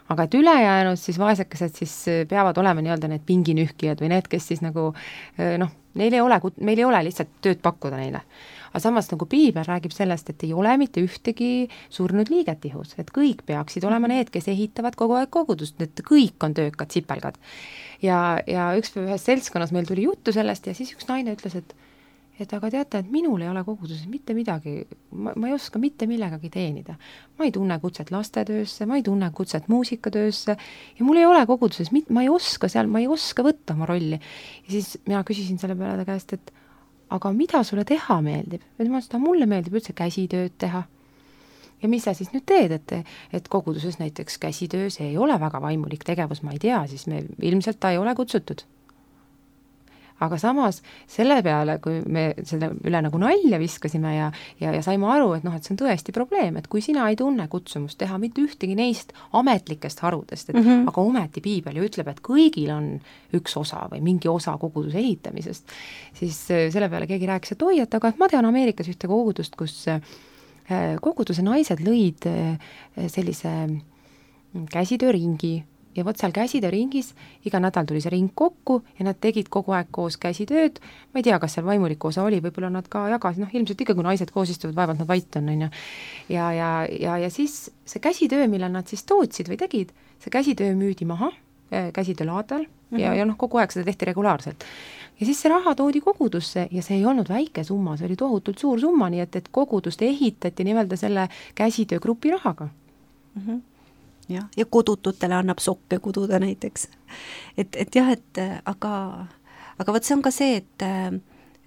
Aga et ülejäänud siis vaesekesed siis peavad olema nii-öelda need pinginühkijad või need, kes siis nagu noh, neil ei ole, meil ei ole lihtsalt tööd pakkuda neile. Aga samas nagu Piibel räägib sellest, et ei ole mitte ühtegi surnud liiget ihus, et kõik peaksid olema need, kes ehitavad kogu aeg kogudust, et kõik on töökad, sipelgad. Ja, ja üks ühes seltskonnas meil tuli juttu sellest ja siis üks naine ütles, et et aga teate, et minul ei ole koguduses mitte midagi, ma, ma ei oska mitte millegagi teenida. Ma ei tunne kutset lastetöösse, ma ei tunne kutset muusikatöösse ja mul ei ole koguduses, ma ei oska seal, ma ei oska võtta oma rolli. Ja siis mina küsisin selle peale ta käest, et aga mida sulle teha meeldib? Et ma seda, mulle meeldib üldse käsitööd teha. Ja mis sa siis nüüd teed, et, et koguduses näiteks käsitöö, see ei ole väga vaimulik tegevus, ma ei tea, siis me ilmselt ta ei ole kutsutud. Aga samas selle peale, kui me selle üle nagu nalja viskasime ja, ja, ja saime aru, et noh, et see on tõesti probleem, et kui sina ei tunne kutsumust teha mitte ühtegi neist ametlikest harudest, et mm -hmm. aga ometi Piibel ju ütleb, et kõigil on üks osa või mingi osa koguduse ehitamisest, siis selle peale keegi rääkis, et oi, et aga et ma tean Ameerikas ühte kogudust, kus koguduse naised lõid sellise käsitööringi ja vot seal käsitööringis iga nädal tuli see ring kokku ja nad tegid kogu aeg koos käsitööd, ma ei tea, kas seal vaimuliku osa oli, võib-olla nad ka jagasid, noh ilmselt ikka, kui naised koos istuvad, vaevalt nad vait on, on ju. Ja, ja, ja, ja siis see käsitöö, millal nad siis tootsid või tegid, see käsitöö müüdi maha käsitöölaadal mm -hmm. ja, ja noh, kogu aeg seda tehti regulaarselt. Ja siis see raha toodi kogudusse ja see ei olnud väike summa, see oli tohutult suur summa, nii et, et kogudust ehitati nimelt selle käsitöögrupi rahaga. Mhm. Mm jah, ja kodututele annab sokke kududa näiteks. Et, et jah, et aga, aga võt see on ka see, et äh,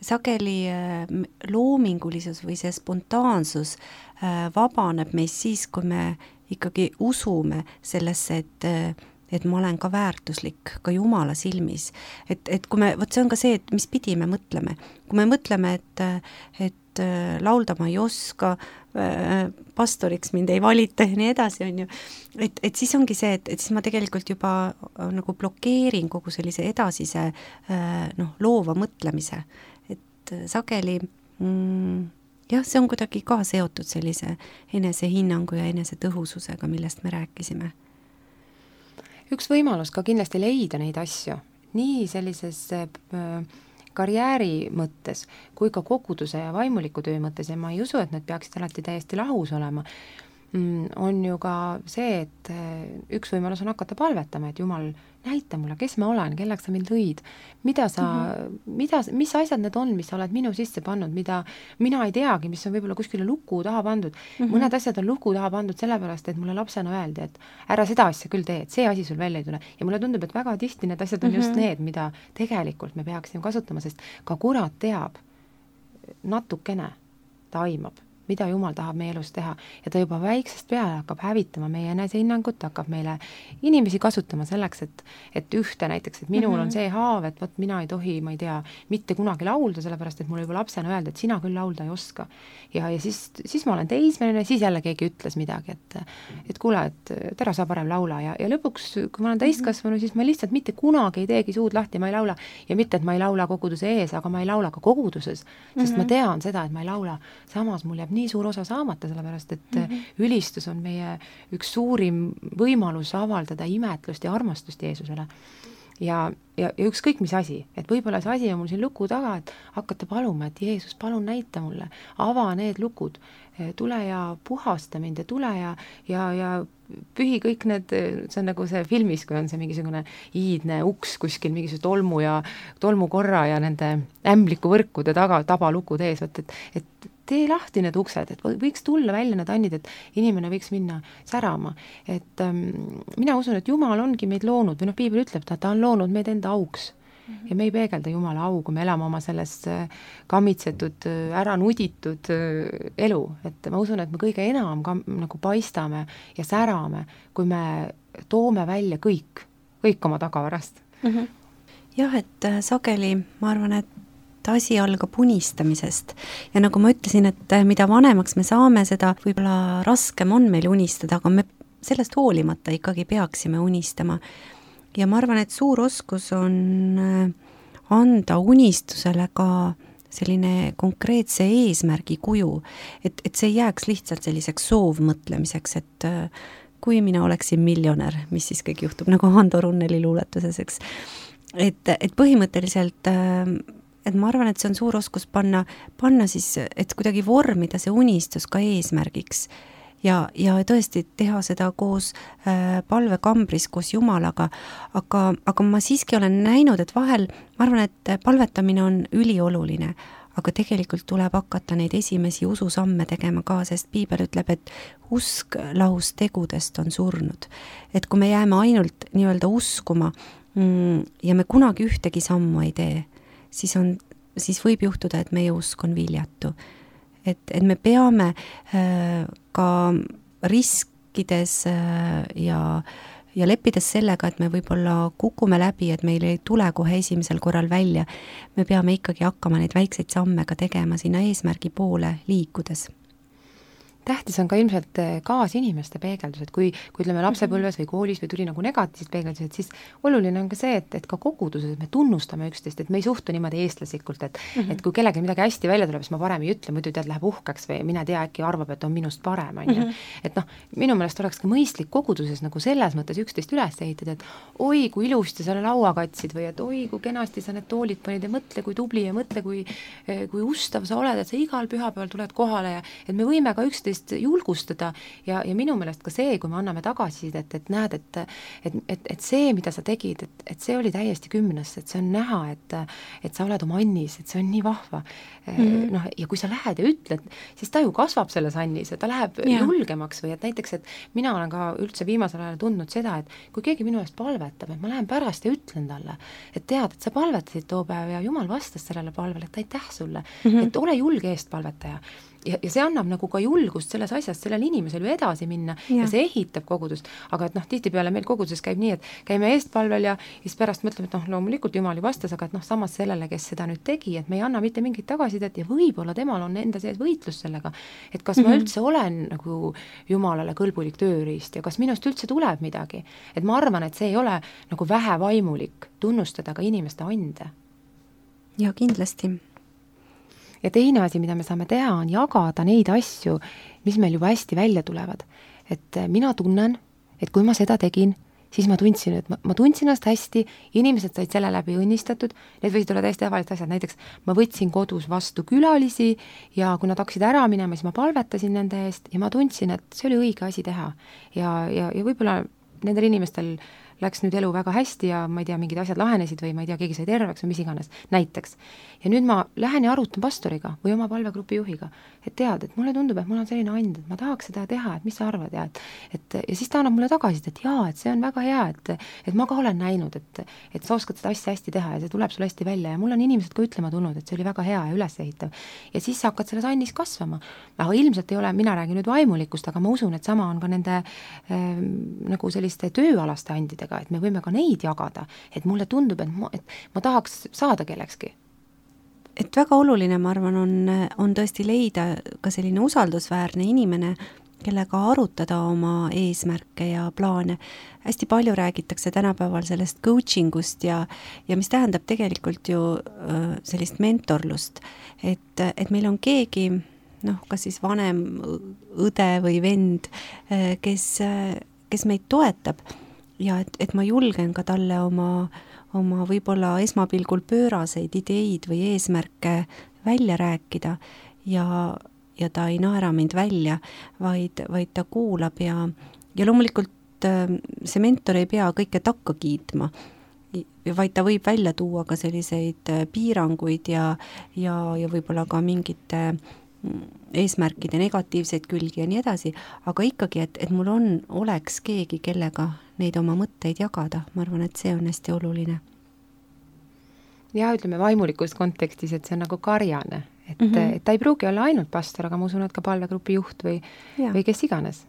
sageli äh, loomingulisus või see spontaansus äh, vabaneb meist siis, kui me ikkagi usume sellesse, et äh, et ma olen ka väärtuslik ka Jumala silmis. Et, et kui me, võt see on ka see, et mis pidi me mõtleme. Kui me mõtleme, et, et laulda ma ei oska, pastoriks mind ei valita ja nii edasi, on ju. Et, et siis ongi see, et, et siis ma tegelikult juba nagu blokeerin kogu sellise edasise noh, loova mõtlemise. Et sageli mm, jah, see on kuidagi ka seotud sellise enesehinnangu ja enesetõhususega, millest me rääkisime. Üks võimalus ka kindlasti leida neid asju, nii sellises karjääri mõttes kui ka koguduse ja vaimuliku töö mõttes ja ma ei usu, et need peaksid alati täiesti lahus olema, on ju ka see, et üks võimalus on hakata palvetama, et Jumal, näita mulle, kes ma olen, kelleks sa mind lõid, mida sa, mm-hmm. mida, mis asjad need on, mis sa oled minu sisse pannud, mida mina ei teagi, mis on võib-olla kuskile luku taha pandud. Mm-hmm. Mõned asjad on luku taha pandud sellepärast, et mulle lapsena öeldi, et ära seda asja küll tee, et see asi sul välja ei tule. Ja mulle tundub, et väga tihti need asjad on mm-hmm. just need, mida tegelikult me peaksime kasutama, sest ka kurat teab natukene, ta aimab, mida Jumal tahab meie elus teha ja ta juba väiksest peale hakkab hävitama meie enesehinnangut, hakkab meile inimesi kasutama selleks, et, et ühte näiteks, et minul mm-hmm. on see haav, et võt mina ei tohi, ma ei tea, mitte kunagi laulda, sellepärast, et mulle juba lapsena öelda, et sina küll laulda ei oska. Ja, ja siis, siis ma olen teismeline, siis jälle keegi ütles midagi, et, et kuule, et tere sa parem laula ja, ja lõpuks, kui ma olen täiskasvanu, siis ma lihtsalt mitte kunagi ei teegi suud lahti, ma ei laula ja mitte, et ma ei laula koguduse ees, aga ma ei laula ka koguduses, sest mm-hmm. ma tean seda, et ma ei laula, samas mul jääb nii suur osa saamata, sellepärast, et mm-hmm. ülistus on meie üks suurim võimalus avaldada imetlust ja armastust Jeesusele. Ja, ja, ja ükskõik mis asi, et võib-olla see asi on mul siin luku taga, et hakata paluma, et Jeesus, palun näita mulle, ava need lukud, tule ja puhasta mind ja tule ja, ja, ja pühi kõik need, see on nagu see filmis, kui on see mingisugune iidne uks kuskil, mingisugune tolmu ja tolmukorra ja nende ämbliku võrkude taga, tabalukud ees, et, et, et tee lahti need uksed, et võiks tulla välja need annid, et inimene võiks minna särama. Et ähm, mina usun, et Jumal ongi meid loonud, või noh, Piibel ütleb, ta, ta on loonud meid enda auks. ja me ei peegelda Jumala au, kui me elame oma selles kammitsetud, ära nuditud elu, et ma usun, et me kõige enam ka, nagu paistame ja särame, kui me toome välja kõik, kõik oma tagavarast. Mm-hmm. Jah, et sageli ma arvan, et asi algab unistamisest ja nagu ma ütlesin, et mida vanemaks me saame, seda võib-olla raskem on meil unistada, aga me sellest hoolimata ikkagi peaksime unistama. Ja ma arvan, et suur oskus on anda unistusele ka selline konkreetse eesmärgi kuju, et, et see jääks lihtsalt selliseks soovmõtlemiseks, et kui mina oleksin miljonär, mis siis kõik juhtub, nagu Hando Runneli luuletuses, eks. Et, et põhimõtteliselt, et ma arvan, et see on suur oskus panna, panna siis, et kuidagi vormida see unistus ka eesmärgiks ja, ja tõesti teha seda koos äh, palvekambris, koos Jumalaga, aga, aga ma siiski olen näinud, et vahel, ma arvan, et palvetamine on ülioluline, aga tegelikult tuleb hakata neid esimesi ususamme tegema ka, sest Piibel ütleb, et usk lahus tegudest on surnud. Et kui me jääme ainult nii-öelda uskuma mm, ja me kunagi ühtegi sammu ei tee, siis, on, siis võib juhtuda, et meie usk on viljatu. Et, et me peame äh, ka riskides äh, ja, ja leppides sellega, et me võib-olla kukume läbi, et meil ei tule kohe esimesel korral välja, me peame ikkagi hakkama neid väikseid samme ka tegema sinna eesmärgi poole liikudes. Tähtis on ka ilmselt kaasinimeste peegeldused, kui, kui ütleme lapsepõlves või koolis või tuli nagu negatiivsed peegeldused, siis oluline on ka see, et, et ka koguduses me tunnustame üksteist, et me ei suhtu niimoodi eestlaslikult, et, mm-hmm. et kui kellegi midagi hästi välja tuleb, siis ma parem ei ütle, muidu tead läheb uhkeks või mine tea, äkki arvab, et on minust parem, on ju. Et noh, minu meelest oleks ka mõistlik koguduses nagu selles mõttes üksteist üles ehitada, et oi, kui ilusti sa laua katsid või et oi, kui kenasti sa need toolid panid ja mõtle, kui tubli ja mõtle, kui, kui ustav sa oled, et sa igal pühapäeval tuled kohale ja et me võime ka üksteist julgustada ja, ja minu meelest ka see, kui me anname tagasisidet, et näed, et, et, et, et see, mida sa tegid, et, et see oli täiesti kümnes, et see on näha, et, et sa oled oma Annis, et see on nii vahva. Mm-hmm. Noh, ja kui sa lähed ja ütled, siis ta ju kasvab selles Annis ja ta läheb ja. julgemaks või et näiteks, et mina olen ka üldse viimasel ajal tundnud seda, et kui keegi minu eest palvetab, et ma lähen pärast ja ütlen talle, et tead, et sa palvetasid too päev ja Jumal vastas sellele palvele, et aitäh sulle, mm-hmm. et ole julge eestpalvetaja. Ja, ja see annab nagu ka julgust selles asjas sellel inimesel ju edasi minna ja, ja see ehitab kogudust, aga et noh, tihtipeale meil koguduses käib nii, et käime eestpalvel ja siis pärast mõtleme, et noh, loomulikult Jumal ju vastas, aga et noh, samas sellele, kes seda nüüd tegi, et me ei anna mitte mingit tagasisidet ja võib-olla temal on enda sees võitlus sellega, et kas mm-hmm. ma üldse olen nagu Jumalale kõlbulik tööriist ja kas minust üldse tuleb midagi, et ma arvan, et see ei ole nagu vähevaimulik tunnustada ka inimeste ande. Ja kindlasti. Ja teine asi, mida me saame teha, on jagada neid asju, mis meil juba hästi välja tulevad. Et mina tunnen, et kui ma seda tegin, siis ma tundsin, et ma, ma tundsin ennast hästi, inimesed said selle läbi õnnistatud, need võisid olla täiesti tavalised asjad, näiteks ma võtsin kodus vastu külalisi ja kui nad hakkasid ära minema, siis ma palvetasin nende eest ja ma tundsin, et see oli õige asi teha. Ja, ja, ja võib-olla nendel inimestel läks nüüd elu väga hästi ja ma ei tea, mingid asjad lahenesid või ma ei tea, keegi sai terveks või mis iganes, näiteks. Ja nüüd ma lähen ja arutan pastoriga või oma palvegrupi juhiga, et tead, et mulle tundub, et mul on selline and, et ma tahaks seda teha, et mis sa arvad, ja, et, et ja siis ta annab mulle tagasi, et jaa, et see on väga hea, et, et ma ka olen näinud, et, et sa oskad seda asja hästi teha ja see tuleb sul hästi välja ja mul on inimesed ka ütlema tulnud, et see oli väga hea ja ülesehitav. Ja siis sa hakkad selles annis kasvama. Aga ilmselt ei ole, mina räägin nüüd vaimulikust, aga ma usun, et sama on ka nende ähm, nagu selliste tööalaste andidega, et me võime ka neid jagada, et mulle tundub, et ma, et ma tahaks saada kellekski. Et väga oluline, ma arvan, on, on tõesti leida ka selline usaldusväärne inimene, kellega arutada oma eesmärke ja plaane. Hästi palju räägitakse tänapäeval sellest coachingust ja, ja mis tähendab tegelikult ju sellist mentorlust, et, et meil on keegi, noh, kas siis vanem õde või vend, kes, kes meid toetab ja et, et ma julgen ka talle oma oma võib-olla esmapilgul pööraseid ideid või eesmärke välja rääkida ja, ja ta ei naera mind välja, vaid, vaid ta kuulab ja, ja loomulikult see mentor ei pea kõike takka kiitma, vaid ta võib välja tuua ka selliseid piiranguid ja, ja, ja võib-olla ka mingite eesmärkide negatiivseid külgi ja nii edasi, aga ikkagi, et, et mul on, oleks keegi, kellega neid oma mõtteid jagada, ma arvan, et see on hästi oluline. ja ütleme vaimulikus kontekstis, et see on nagu karjane, et, mm -hmm. et ta ei pruugi olla ainult pastor, aga ma usun, et ka palvegrupi juht või, või kes iganes.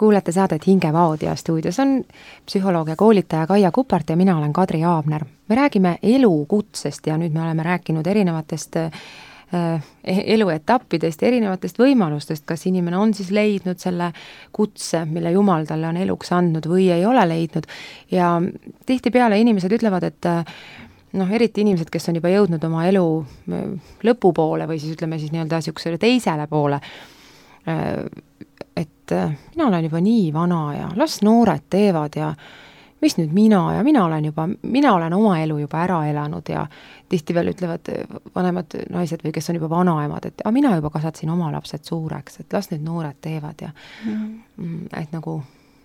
Kuulete saadet Hingevaod ja stuudios on psühholoog ja koolitaja Kaia Kupart ja mina olen Kadri Aabner. Me räägime elukutsest ja nüüd me oleme rääkinud erinevatest äh, eluetappidest ja erinevatest võimalustest, kas inimene on siis leidnud selle kutse, mille Jumal talle on eluks andnud või ei ole leidnud. Ja tihtipeale inimesed ütlevad, et noh, eriti inimesed, kes on juba jõudnud oma elu lõpupoole või siis ütleme siis nii-öelda siuksele teisele poole, et mina olen juba nii vana ja las noored teevad ja mis nüüd mina ja mina olen juba, mina olen oma elu juba ära elanud ja tihti veel ütlevad vanemad naised või kes on juba vanaemad, et a, mina juba kasvatasin oma lapsed suureks, et las nüüd noored teevad ja mm. et nagu,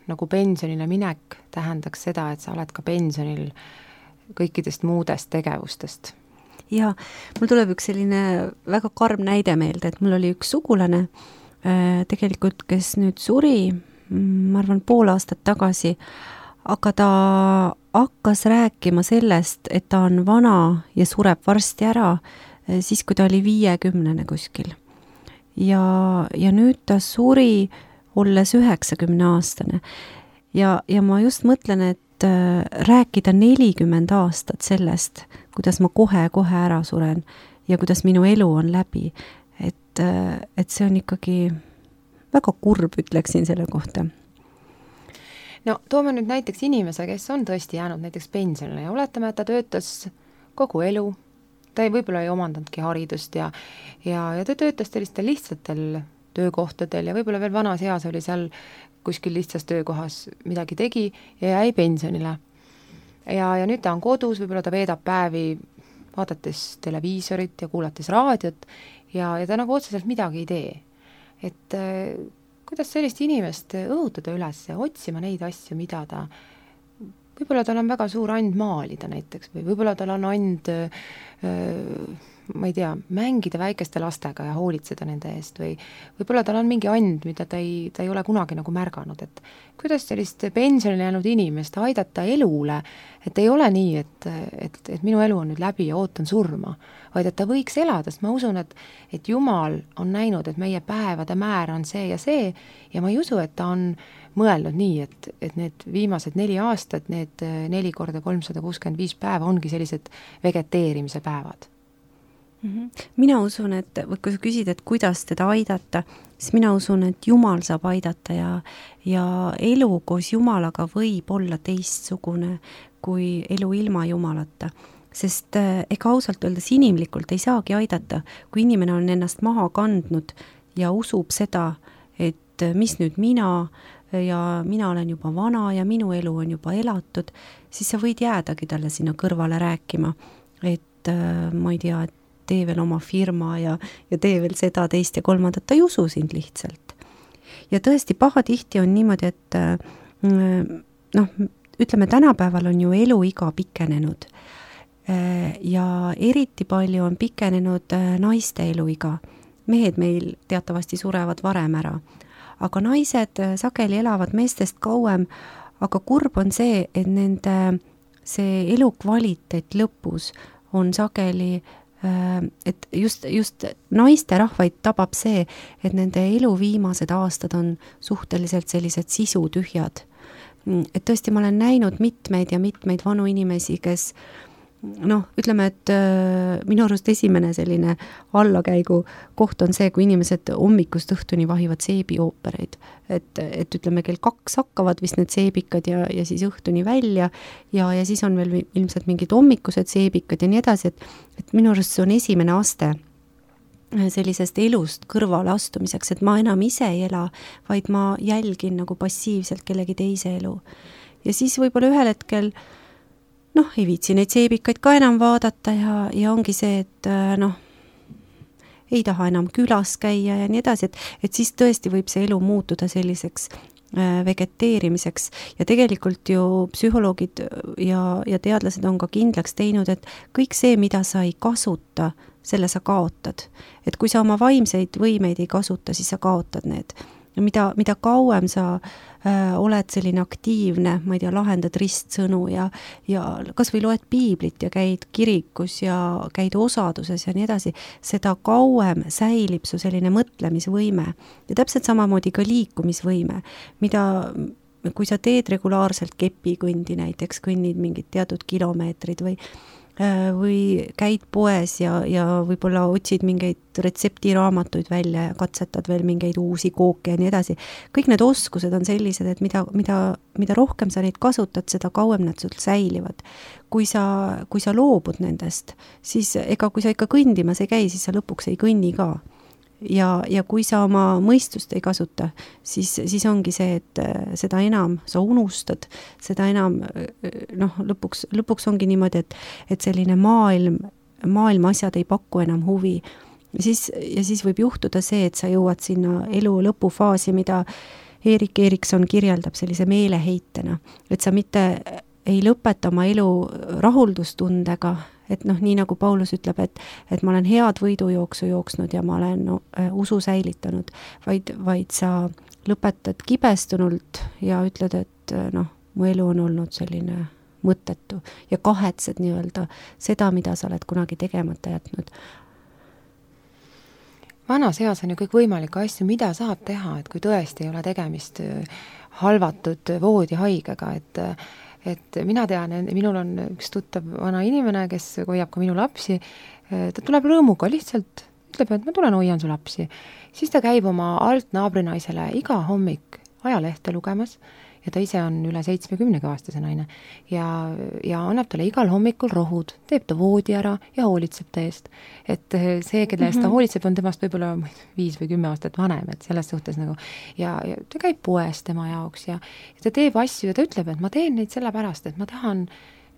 nagu pensionile minek tähendaks seda, et sa oled ka pensionil kõikidest muudest tegevustest. Ja mul tuleb üks selline väga karm näide meelde, et mul oli üks sugulane tegelikult, kes nüüd suri, ma arvan, pool aastat tagasi, aga ta hakkas rääkima sellest, et ta on vana ja sureb varsti ära, siis kui ta oli viiekümnene kuskil. Ja, ja nüüd ta suri olles üheksakümne aastane. Ja, ja ma just mõtlen, et rääkida nelikümmend aastat sellest, kuidas ma kohe-kohe ära suren ja kuidas minu elu on läbi, et, et see on ikkagi väga kurb, ütleksin selle kohta. No toome nüüd näiteks inimese, kes on tõesti jäänud näiteks pensionile ja oletame, et ta töötas kogu elu, ta ei võib-olla ei omandandki haridust ja, ja, ja ta töötas sellistel lihtsatel töökohtadel ja võib-olla veel vanas eas oli seal kuskil lihtsas töökohas midagi tegi ja jäi pensionile. Ja, ja nüüd ta on kodus, võib-olla ta veedab päevi vaadates televiisorit ja kuulates raadiot ja, ja ta nagu otseselt midagi ei tee. Et äh, kuidas sellist inimest õhutada üles ja otsima neid asju, mida ta, võib-olla tal on väga suur and maalida näiteks või võib-olla tal on and, äh, ma ei tea, mängida väikeste lastega ja hoolitseda nende eest või võib-olla tal on mingi and, mida ta ei, ta ei ole kunagi nagu märganud, et kuidas sellist pensionile jäänud inimest aidata elule, et ei ole nii, et, et, et minu elu on nüüd läbi ja ootan surma, vaid et ta võiks elada, sest ma usun, et, et Jumal on näinud, et meie päevade määr on see ja see ja ma ei usu, et ta on mõelnud nii, et, et need viimased neli aastat, need neli korda kolmsada kuuskümmend viis päeva ongi sellised vegeteerimise päevad. Mina usun, et või kui sa küsid, et kuidas teda aidata, siis mina usun, et Jumal saab aidata ja, ja elu koos Jumalaga võib olla teistsugune kui elu ilma Jumalata. Sest ega ausalt öeldes inimlikult ei saagi aidata, kui inimene on ennast maha kandnud ja usub seda, et mis nüüd mina ja mina olen juba vana ja minu elu on juba elatud, siis sa võid jäädagi talle sinna kõrvale rääkima, et ma ei tea, et tee veel oma firma ja, ja tee veel seda, teist ja kolmandat, ta ei usu sind lihtsalt. Ja tõesti pahatihti on niimoodi, et noh, ütleme, tänapäeval on ju eluiga pikenenud ja eriti palju on pikenenud naiste eluiga. Mehed meil teatavasti surevad varem ära, aga naised sageli elavad meestest kauem, aga kurb on see, et nende see elukvaliteet lõpus on sageli et just, just naiste rahvaid tabab see, et nende elu viimased aastad on suhteliselt sellised sisutühjad. Et tõesti ma olen näinud mitmeid ja mitmeid vanu inimesi, kes noh, ütleme, et minu arust esimene selline allakäigu koht on see, kui inimesed hommikust õhtuni vahivad seebioopereid. Et, et ütleme, kell kaks hakkavad vist need seebikad ja, ja siis õhtuni välja ja, ja siis on veel ilmselt mingid hommikused seebikad ja nii edasi, et, et minu arust see on esimene aste sellisest elust kõrvale astumiseks, et ma enam ise ei ela, vaid ma jälgin nagu passiivselt kellegi teise elu. Ja siis võib-olla ühel hetkel noh, ei viitsi neid seebikaid ka enam vaadata ja, ja ongi see, et noh, ei taha enam külas käia ja nii edasi, et, et siis tõesti võib see elu muutuda selliseks vegeteerimiseks ja tegelikult ju psühholoogid ja, ja teadlased on ka kindlaks teinud, et kõik see, mida sa ei kasuta, selle sa kaotad. Et kui sa oma vaimseid võimeid ei kasuta, siis sa kaotad need. Ja mida, mida kauem sa äh, oled selline aktiivne, ma ei tea, lahendad ristsõnu ja, ja kas või loed piiblit ja käid kirikus ja käid osaduses ja nii edasi, seda kauem säilib su selline mõtlemisvõime ja täpselt samamoodi ka liikumisvõime, mida kui sa teed regulaarselt kepikõndi näiteks, kõnnid mingid teatud kilomeetrid või või käid poes ja, ja võib-olla otsid mingeid retseptiraamatuid välja ja katsetad veel mingeid uusi kooke ja nii edasi. Kõik need oskused on sellised, et mida, mida, mida rohkem sa neid kasutad, seda kauem nad sul säilivad. Kui sa, kui sa loobud nendest, siis ega kui sa ikka kõndimas ei käi, siis sa lõpuks ei kõnni ka. Ja, ja kui sa oma mõistust ei kasuta, siis, siis ongi see, et seda enam sa unustad, seda enam noh, lõpuks, lõpuks ongi niimoodi, et, et selline maailm, maailma asjad ei paku enam huvi. Ja siis, ja siis võib juhtuda see, et sa jõuad sinna elu lõpufaasi, mida Erik Erikson kirjeldab sellise meeleheitena, et sa mitte ei lõpeta oma elu rahuldustundega, et noh, nii nagu Paulus ütleb, et, et ma olen head võidujooksu jooksnud ja ma olen no, usu säilitanud, vaid, vaid sa lõpetad kibestunult ja ütled, et noh, mu elu on olnud selline mõttetu ja kahetsed nii-öelda seda, mida sa oled kunagi tegemata jätnud. Vanas eas on ju kõik võimalikke asju, mida saab teha, et kui tõesti ei ole tegemist halvatud voodihaigega, et et mina tean, minul on üks tuttav vana inimene, kes hoiab ka minu lapsi, ta tuleb rõõmuga lihtsalt, ütleb, et ma tulen hoian su lapsi. Siis ta käib oma alt naabrinaisele iga hommik ajalehte lugemas ja ta ise on üle seitsmekümnega aastase naine ja, ja annab talle igal hommikul rohud, teeb ta voodi ära ja hoolitseb ta eest. Et see, kelle eest ta hoolitseb, on temast võib-olla viis või kümme aastat vanem, et selles suhtes nagu ja, ja ta käib poes tema jaoks ja, ja ta teeb asju ja ta ütleb, et ma teen neid sellepärast, et ma tahan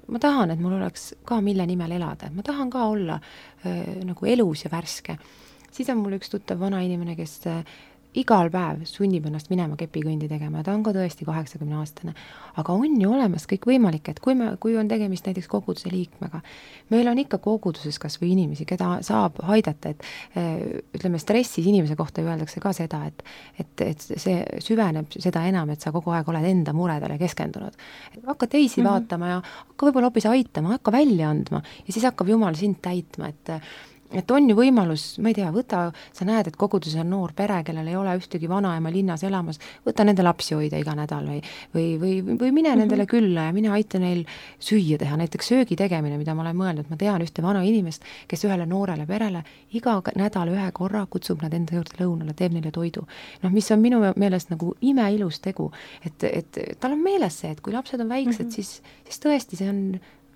ma tahan, et mul oleks ka mille nimel elada, et ma tahan ka olla äh, nagu elus ja värske. Siis on mul üks tuttav vana inimene, kes äh, igal päev sunnib ennast minema kepikõndi tegema, ta on ka tõesti kaheksakümne aastane, aga on ju olemas kõik võimalik, et kui, me, kui on tegemist näiteks koguduse liikmega, meil on ikka koguduses kas või inimesi, keda saab haidata, et ütleme, stressis inimese kohta öeldakse ka seda, et, et, et see süveneb seda enam, et sa kogu aeg oled enda muredele keskendunud. Hakka teisi mm-hmm. vaatama ja hakka võib-olla hoopis aitama, hakka välja andma ja siis hakkab Jumal sind täitma, et et on ju võimalus, ma ei tea, võta, sa näed, et koguduses on noor pere, kellel ei ole ühtegi vanaema linnas elamas, võta nende lapsi hoida iga nädal või, või, või, või mine mm-hmm. nendele külla ja mine aita neil süüa teha, näiteks söögi tegemine, mida ma olen mõelnud, ma tean ühte vana inimest, kes ühele noorele perele iga nädal ühe korra kutsub nad enda juurde lõunale, teeb neile toidu. noh, mis on minu meelest nagu imeilus tegu, et, et tal on meeles see, et kui lapsed on väiksed, mm-hmm. siis, siis tõesti see on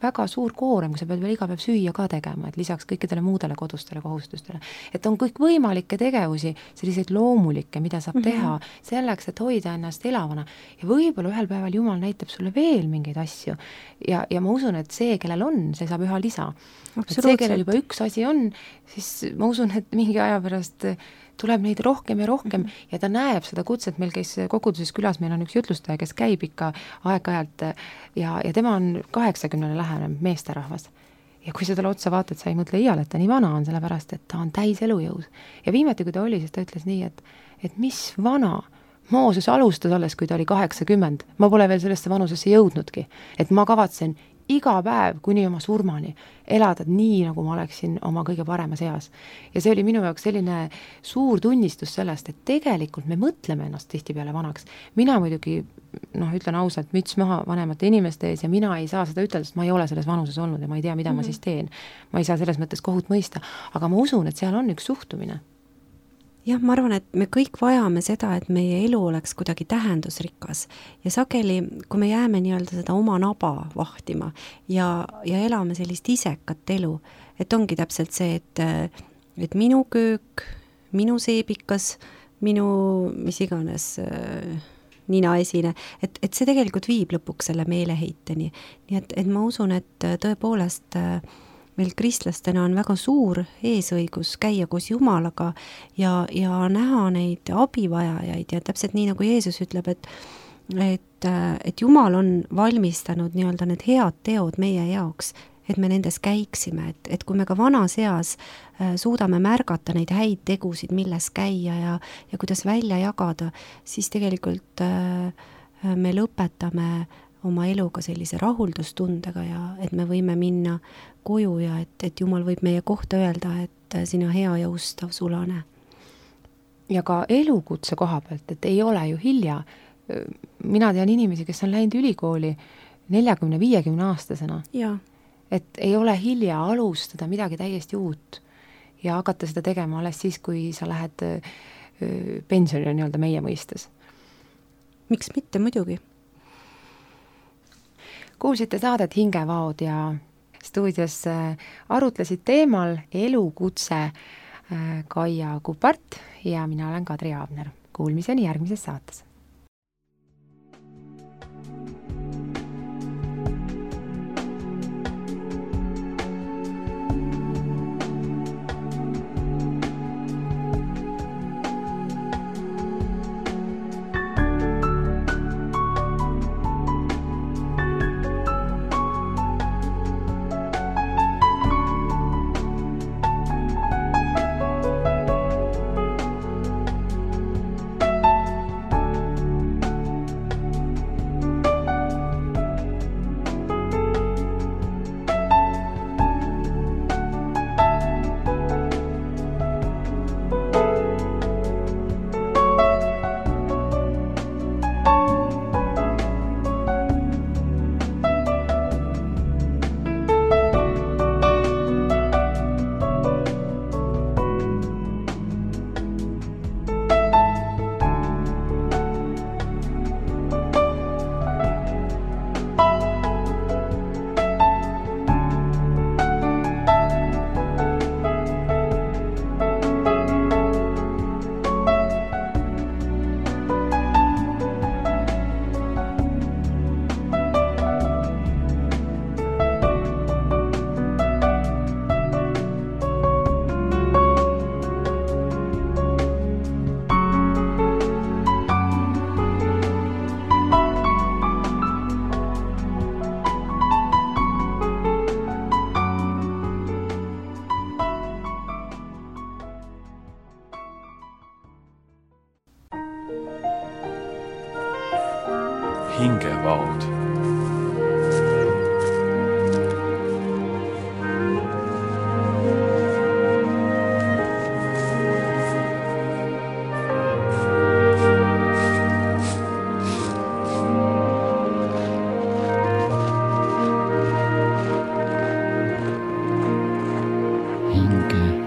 väga suur koorem, kui sa pead veel iga päev süüa ka tegema, et lisaks kõikidele muudele kodustele kohustustele. Et on kõik võimalikke tegevusi, selliseid loomulikke, mida saab mm-hmm. teha selleks, et hoida ennast elavana. Ja võib-olla ühel päeval Jumal näitab sulle veel mingeid asju. Ja, ja ma usun, et see, kellel on, see saab üha lisa. Et see, kellel juba üks asi on, siis ma usun, et mingi aja pärast tuleb neid rohkem ja rohkem mm-hmm. ja ta näeb seda kutset, meil käis koguduses külas, meil on üks jutlustaja, kes käib ikka aeg-ajalt ja, ja tema on kaheksakümnele lähenev meesterahvas. Ja kui sa talle otsa vaatad, sa ei mõtle iial, et ta nii vana on, sellepärast, et ta on täis elujõus. Ja viimati, kui ta oli, siis ta ütles nii, et, et mis vana, Mooses alustas alles, kui ta oli kaheksakümmend. Ma pole veel sellesse vanusesse jõudnudki, et ma kavatsen iga päev kuni oma surmani elada nii, nagu ma oleksin oma kõige paremas eas. Ja see oli minu jaoks selline suur tunnistus sellest, et tegelikult me mõtleme ennast tihtipeale vanaks. Mina muidugi, noh, ütlen ausalt, müts maha vanemate inimeste ees ja mina ei saa seda ütelda, sest ma ei ole selles vanuses olnud ja ma ei tea, mida mm-hmm. ma siis teen. Ma ei saa selles mõttes kohut mõista, aga ma usun, et seal on üks suhtumine. Jah, ma arvan, et me kõik vajame seda, et meie elu oleks kuidagi tähendusrikas ja sageli, kui me jääme nii-öelda seda oma naba vahtima ja, ja elame sellist isekat elu, et ongi täpselt see, et, et minu köök, minu seebikas, minu mis iganes ninaesine, et, et see tegelikult viib lõpuks selle meeleheiteni. Nii et, et ma usun, et tõepoolest meil kristlastena on väga suur eesõigus käia koos Jumalaga ja, ja näha neid abivajajaid ja täpselt nii, nagu Jeesus ütleb, et, et, et Jumal on valmistanud nii-öelda need head teod meie jaoks, et me nendes käiksime, et, et kui me ka vanas eas äh, suudame märgata neid häid tegusid, milles käia ja, ja kuidas välja jagada, siis tegelikult äh, me lõpetame oma eluga sellise rahuldustundega ja et me võime minna koju ja et, et Jumal võib meie kohta öelda, et sina hea ja ustav sulane. Ja ka elukutse koha pealt, et ei ole ju hilja. Mina tean inimesi, kes on läinud ülikooli neljakümne viiekümne aastasena. Ja. Et ei ole hilja alustada midagi täiesti uut ja hakata seda tegema alles siis, kui sa lähed pensionile nii-öelda meie mõistes. Miks mitte, muidugi? Kuulsite saadet Hingevaod ja stuudios arutlesid teemal elukutse Kaia Kupart ja mina olen Kadri Aabner. Kuulmiseni järgmises saates. Hingevaod. hinge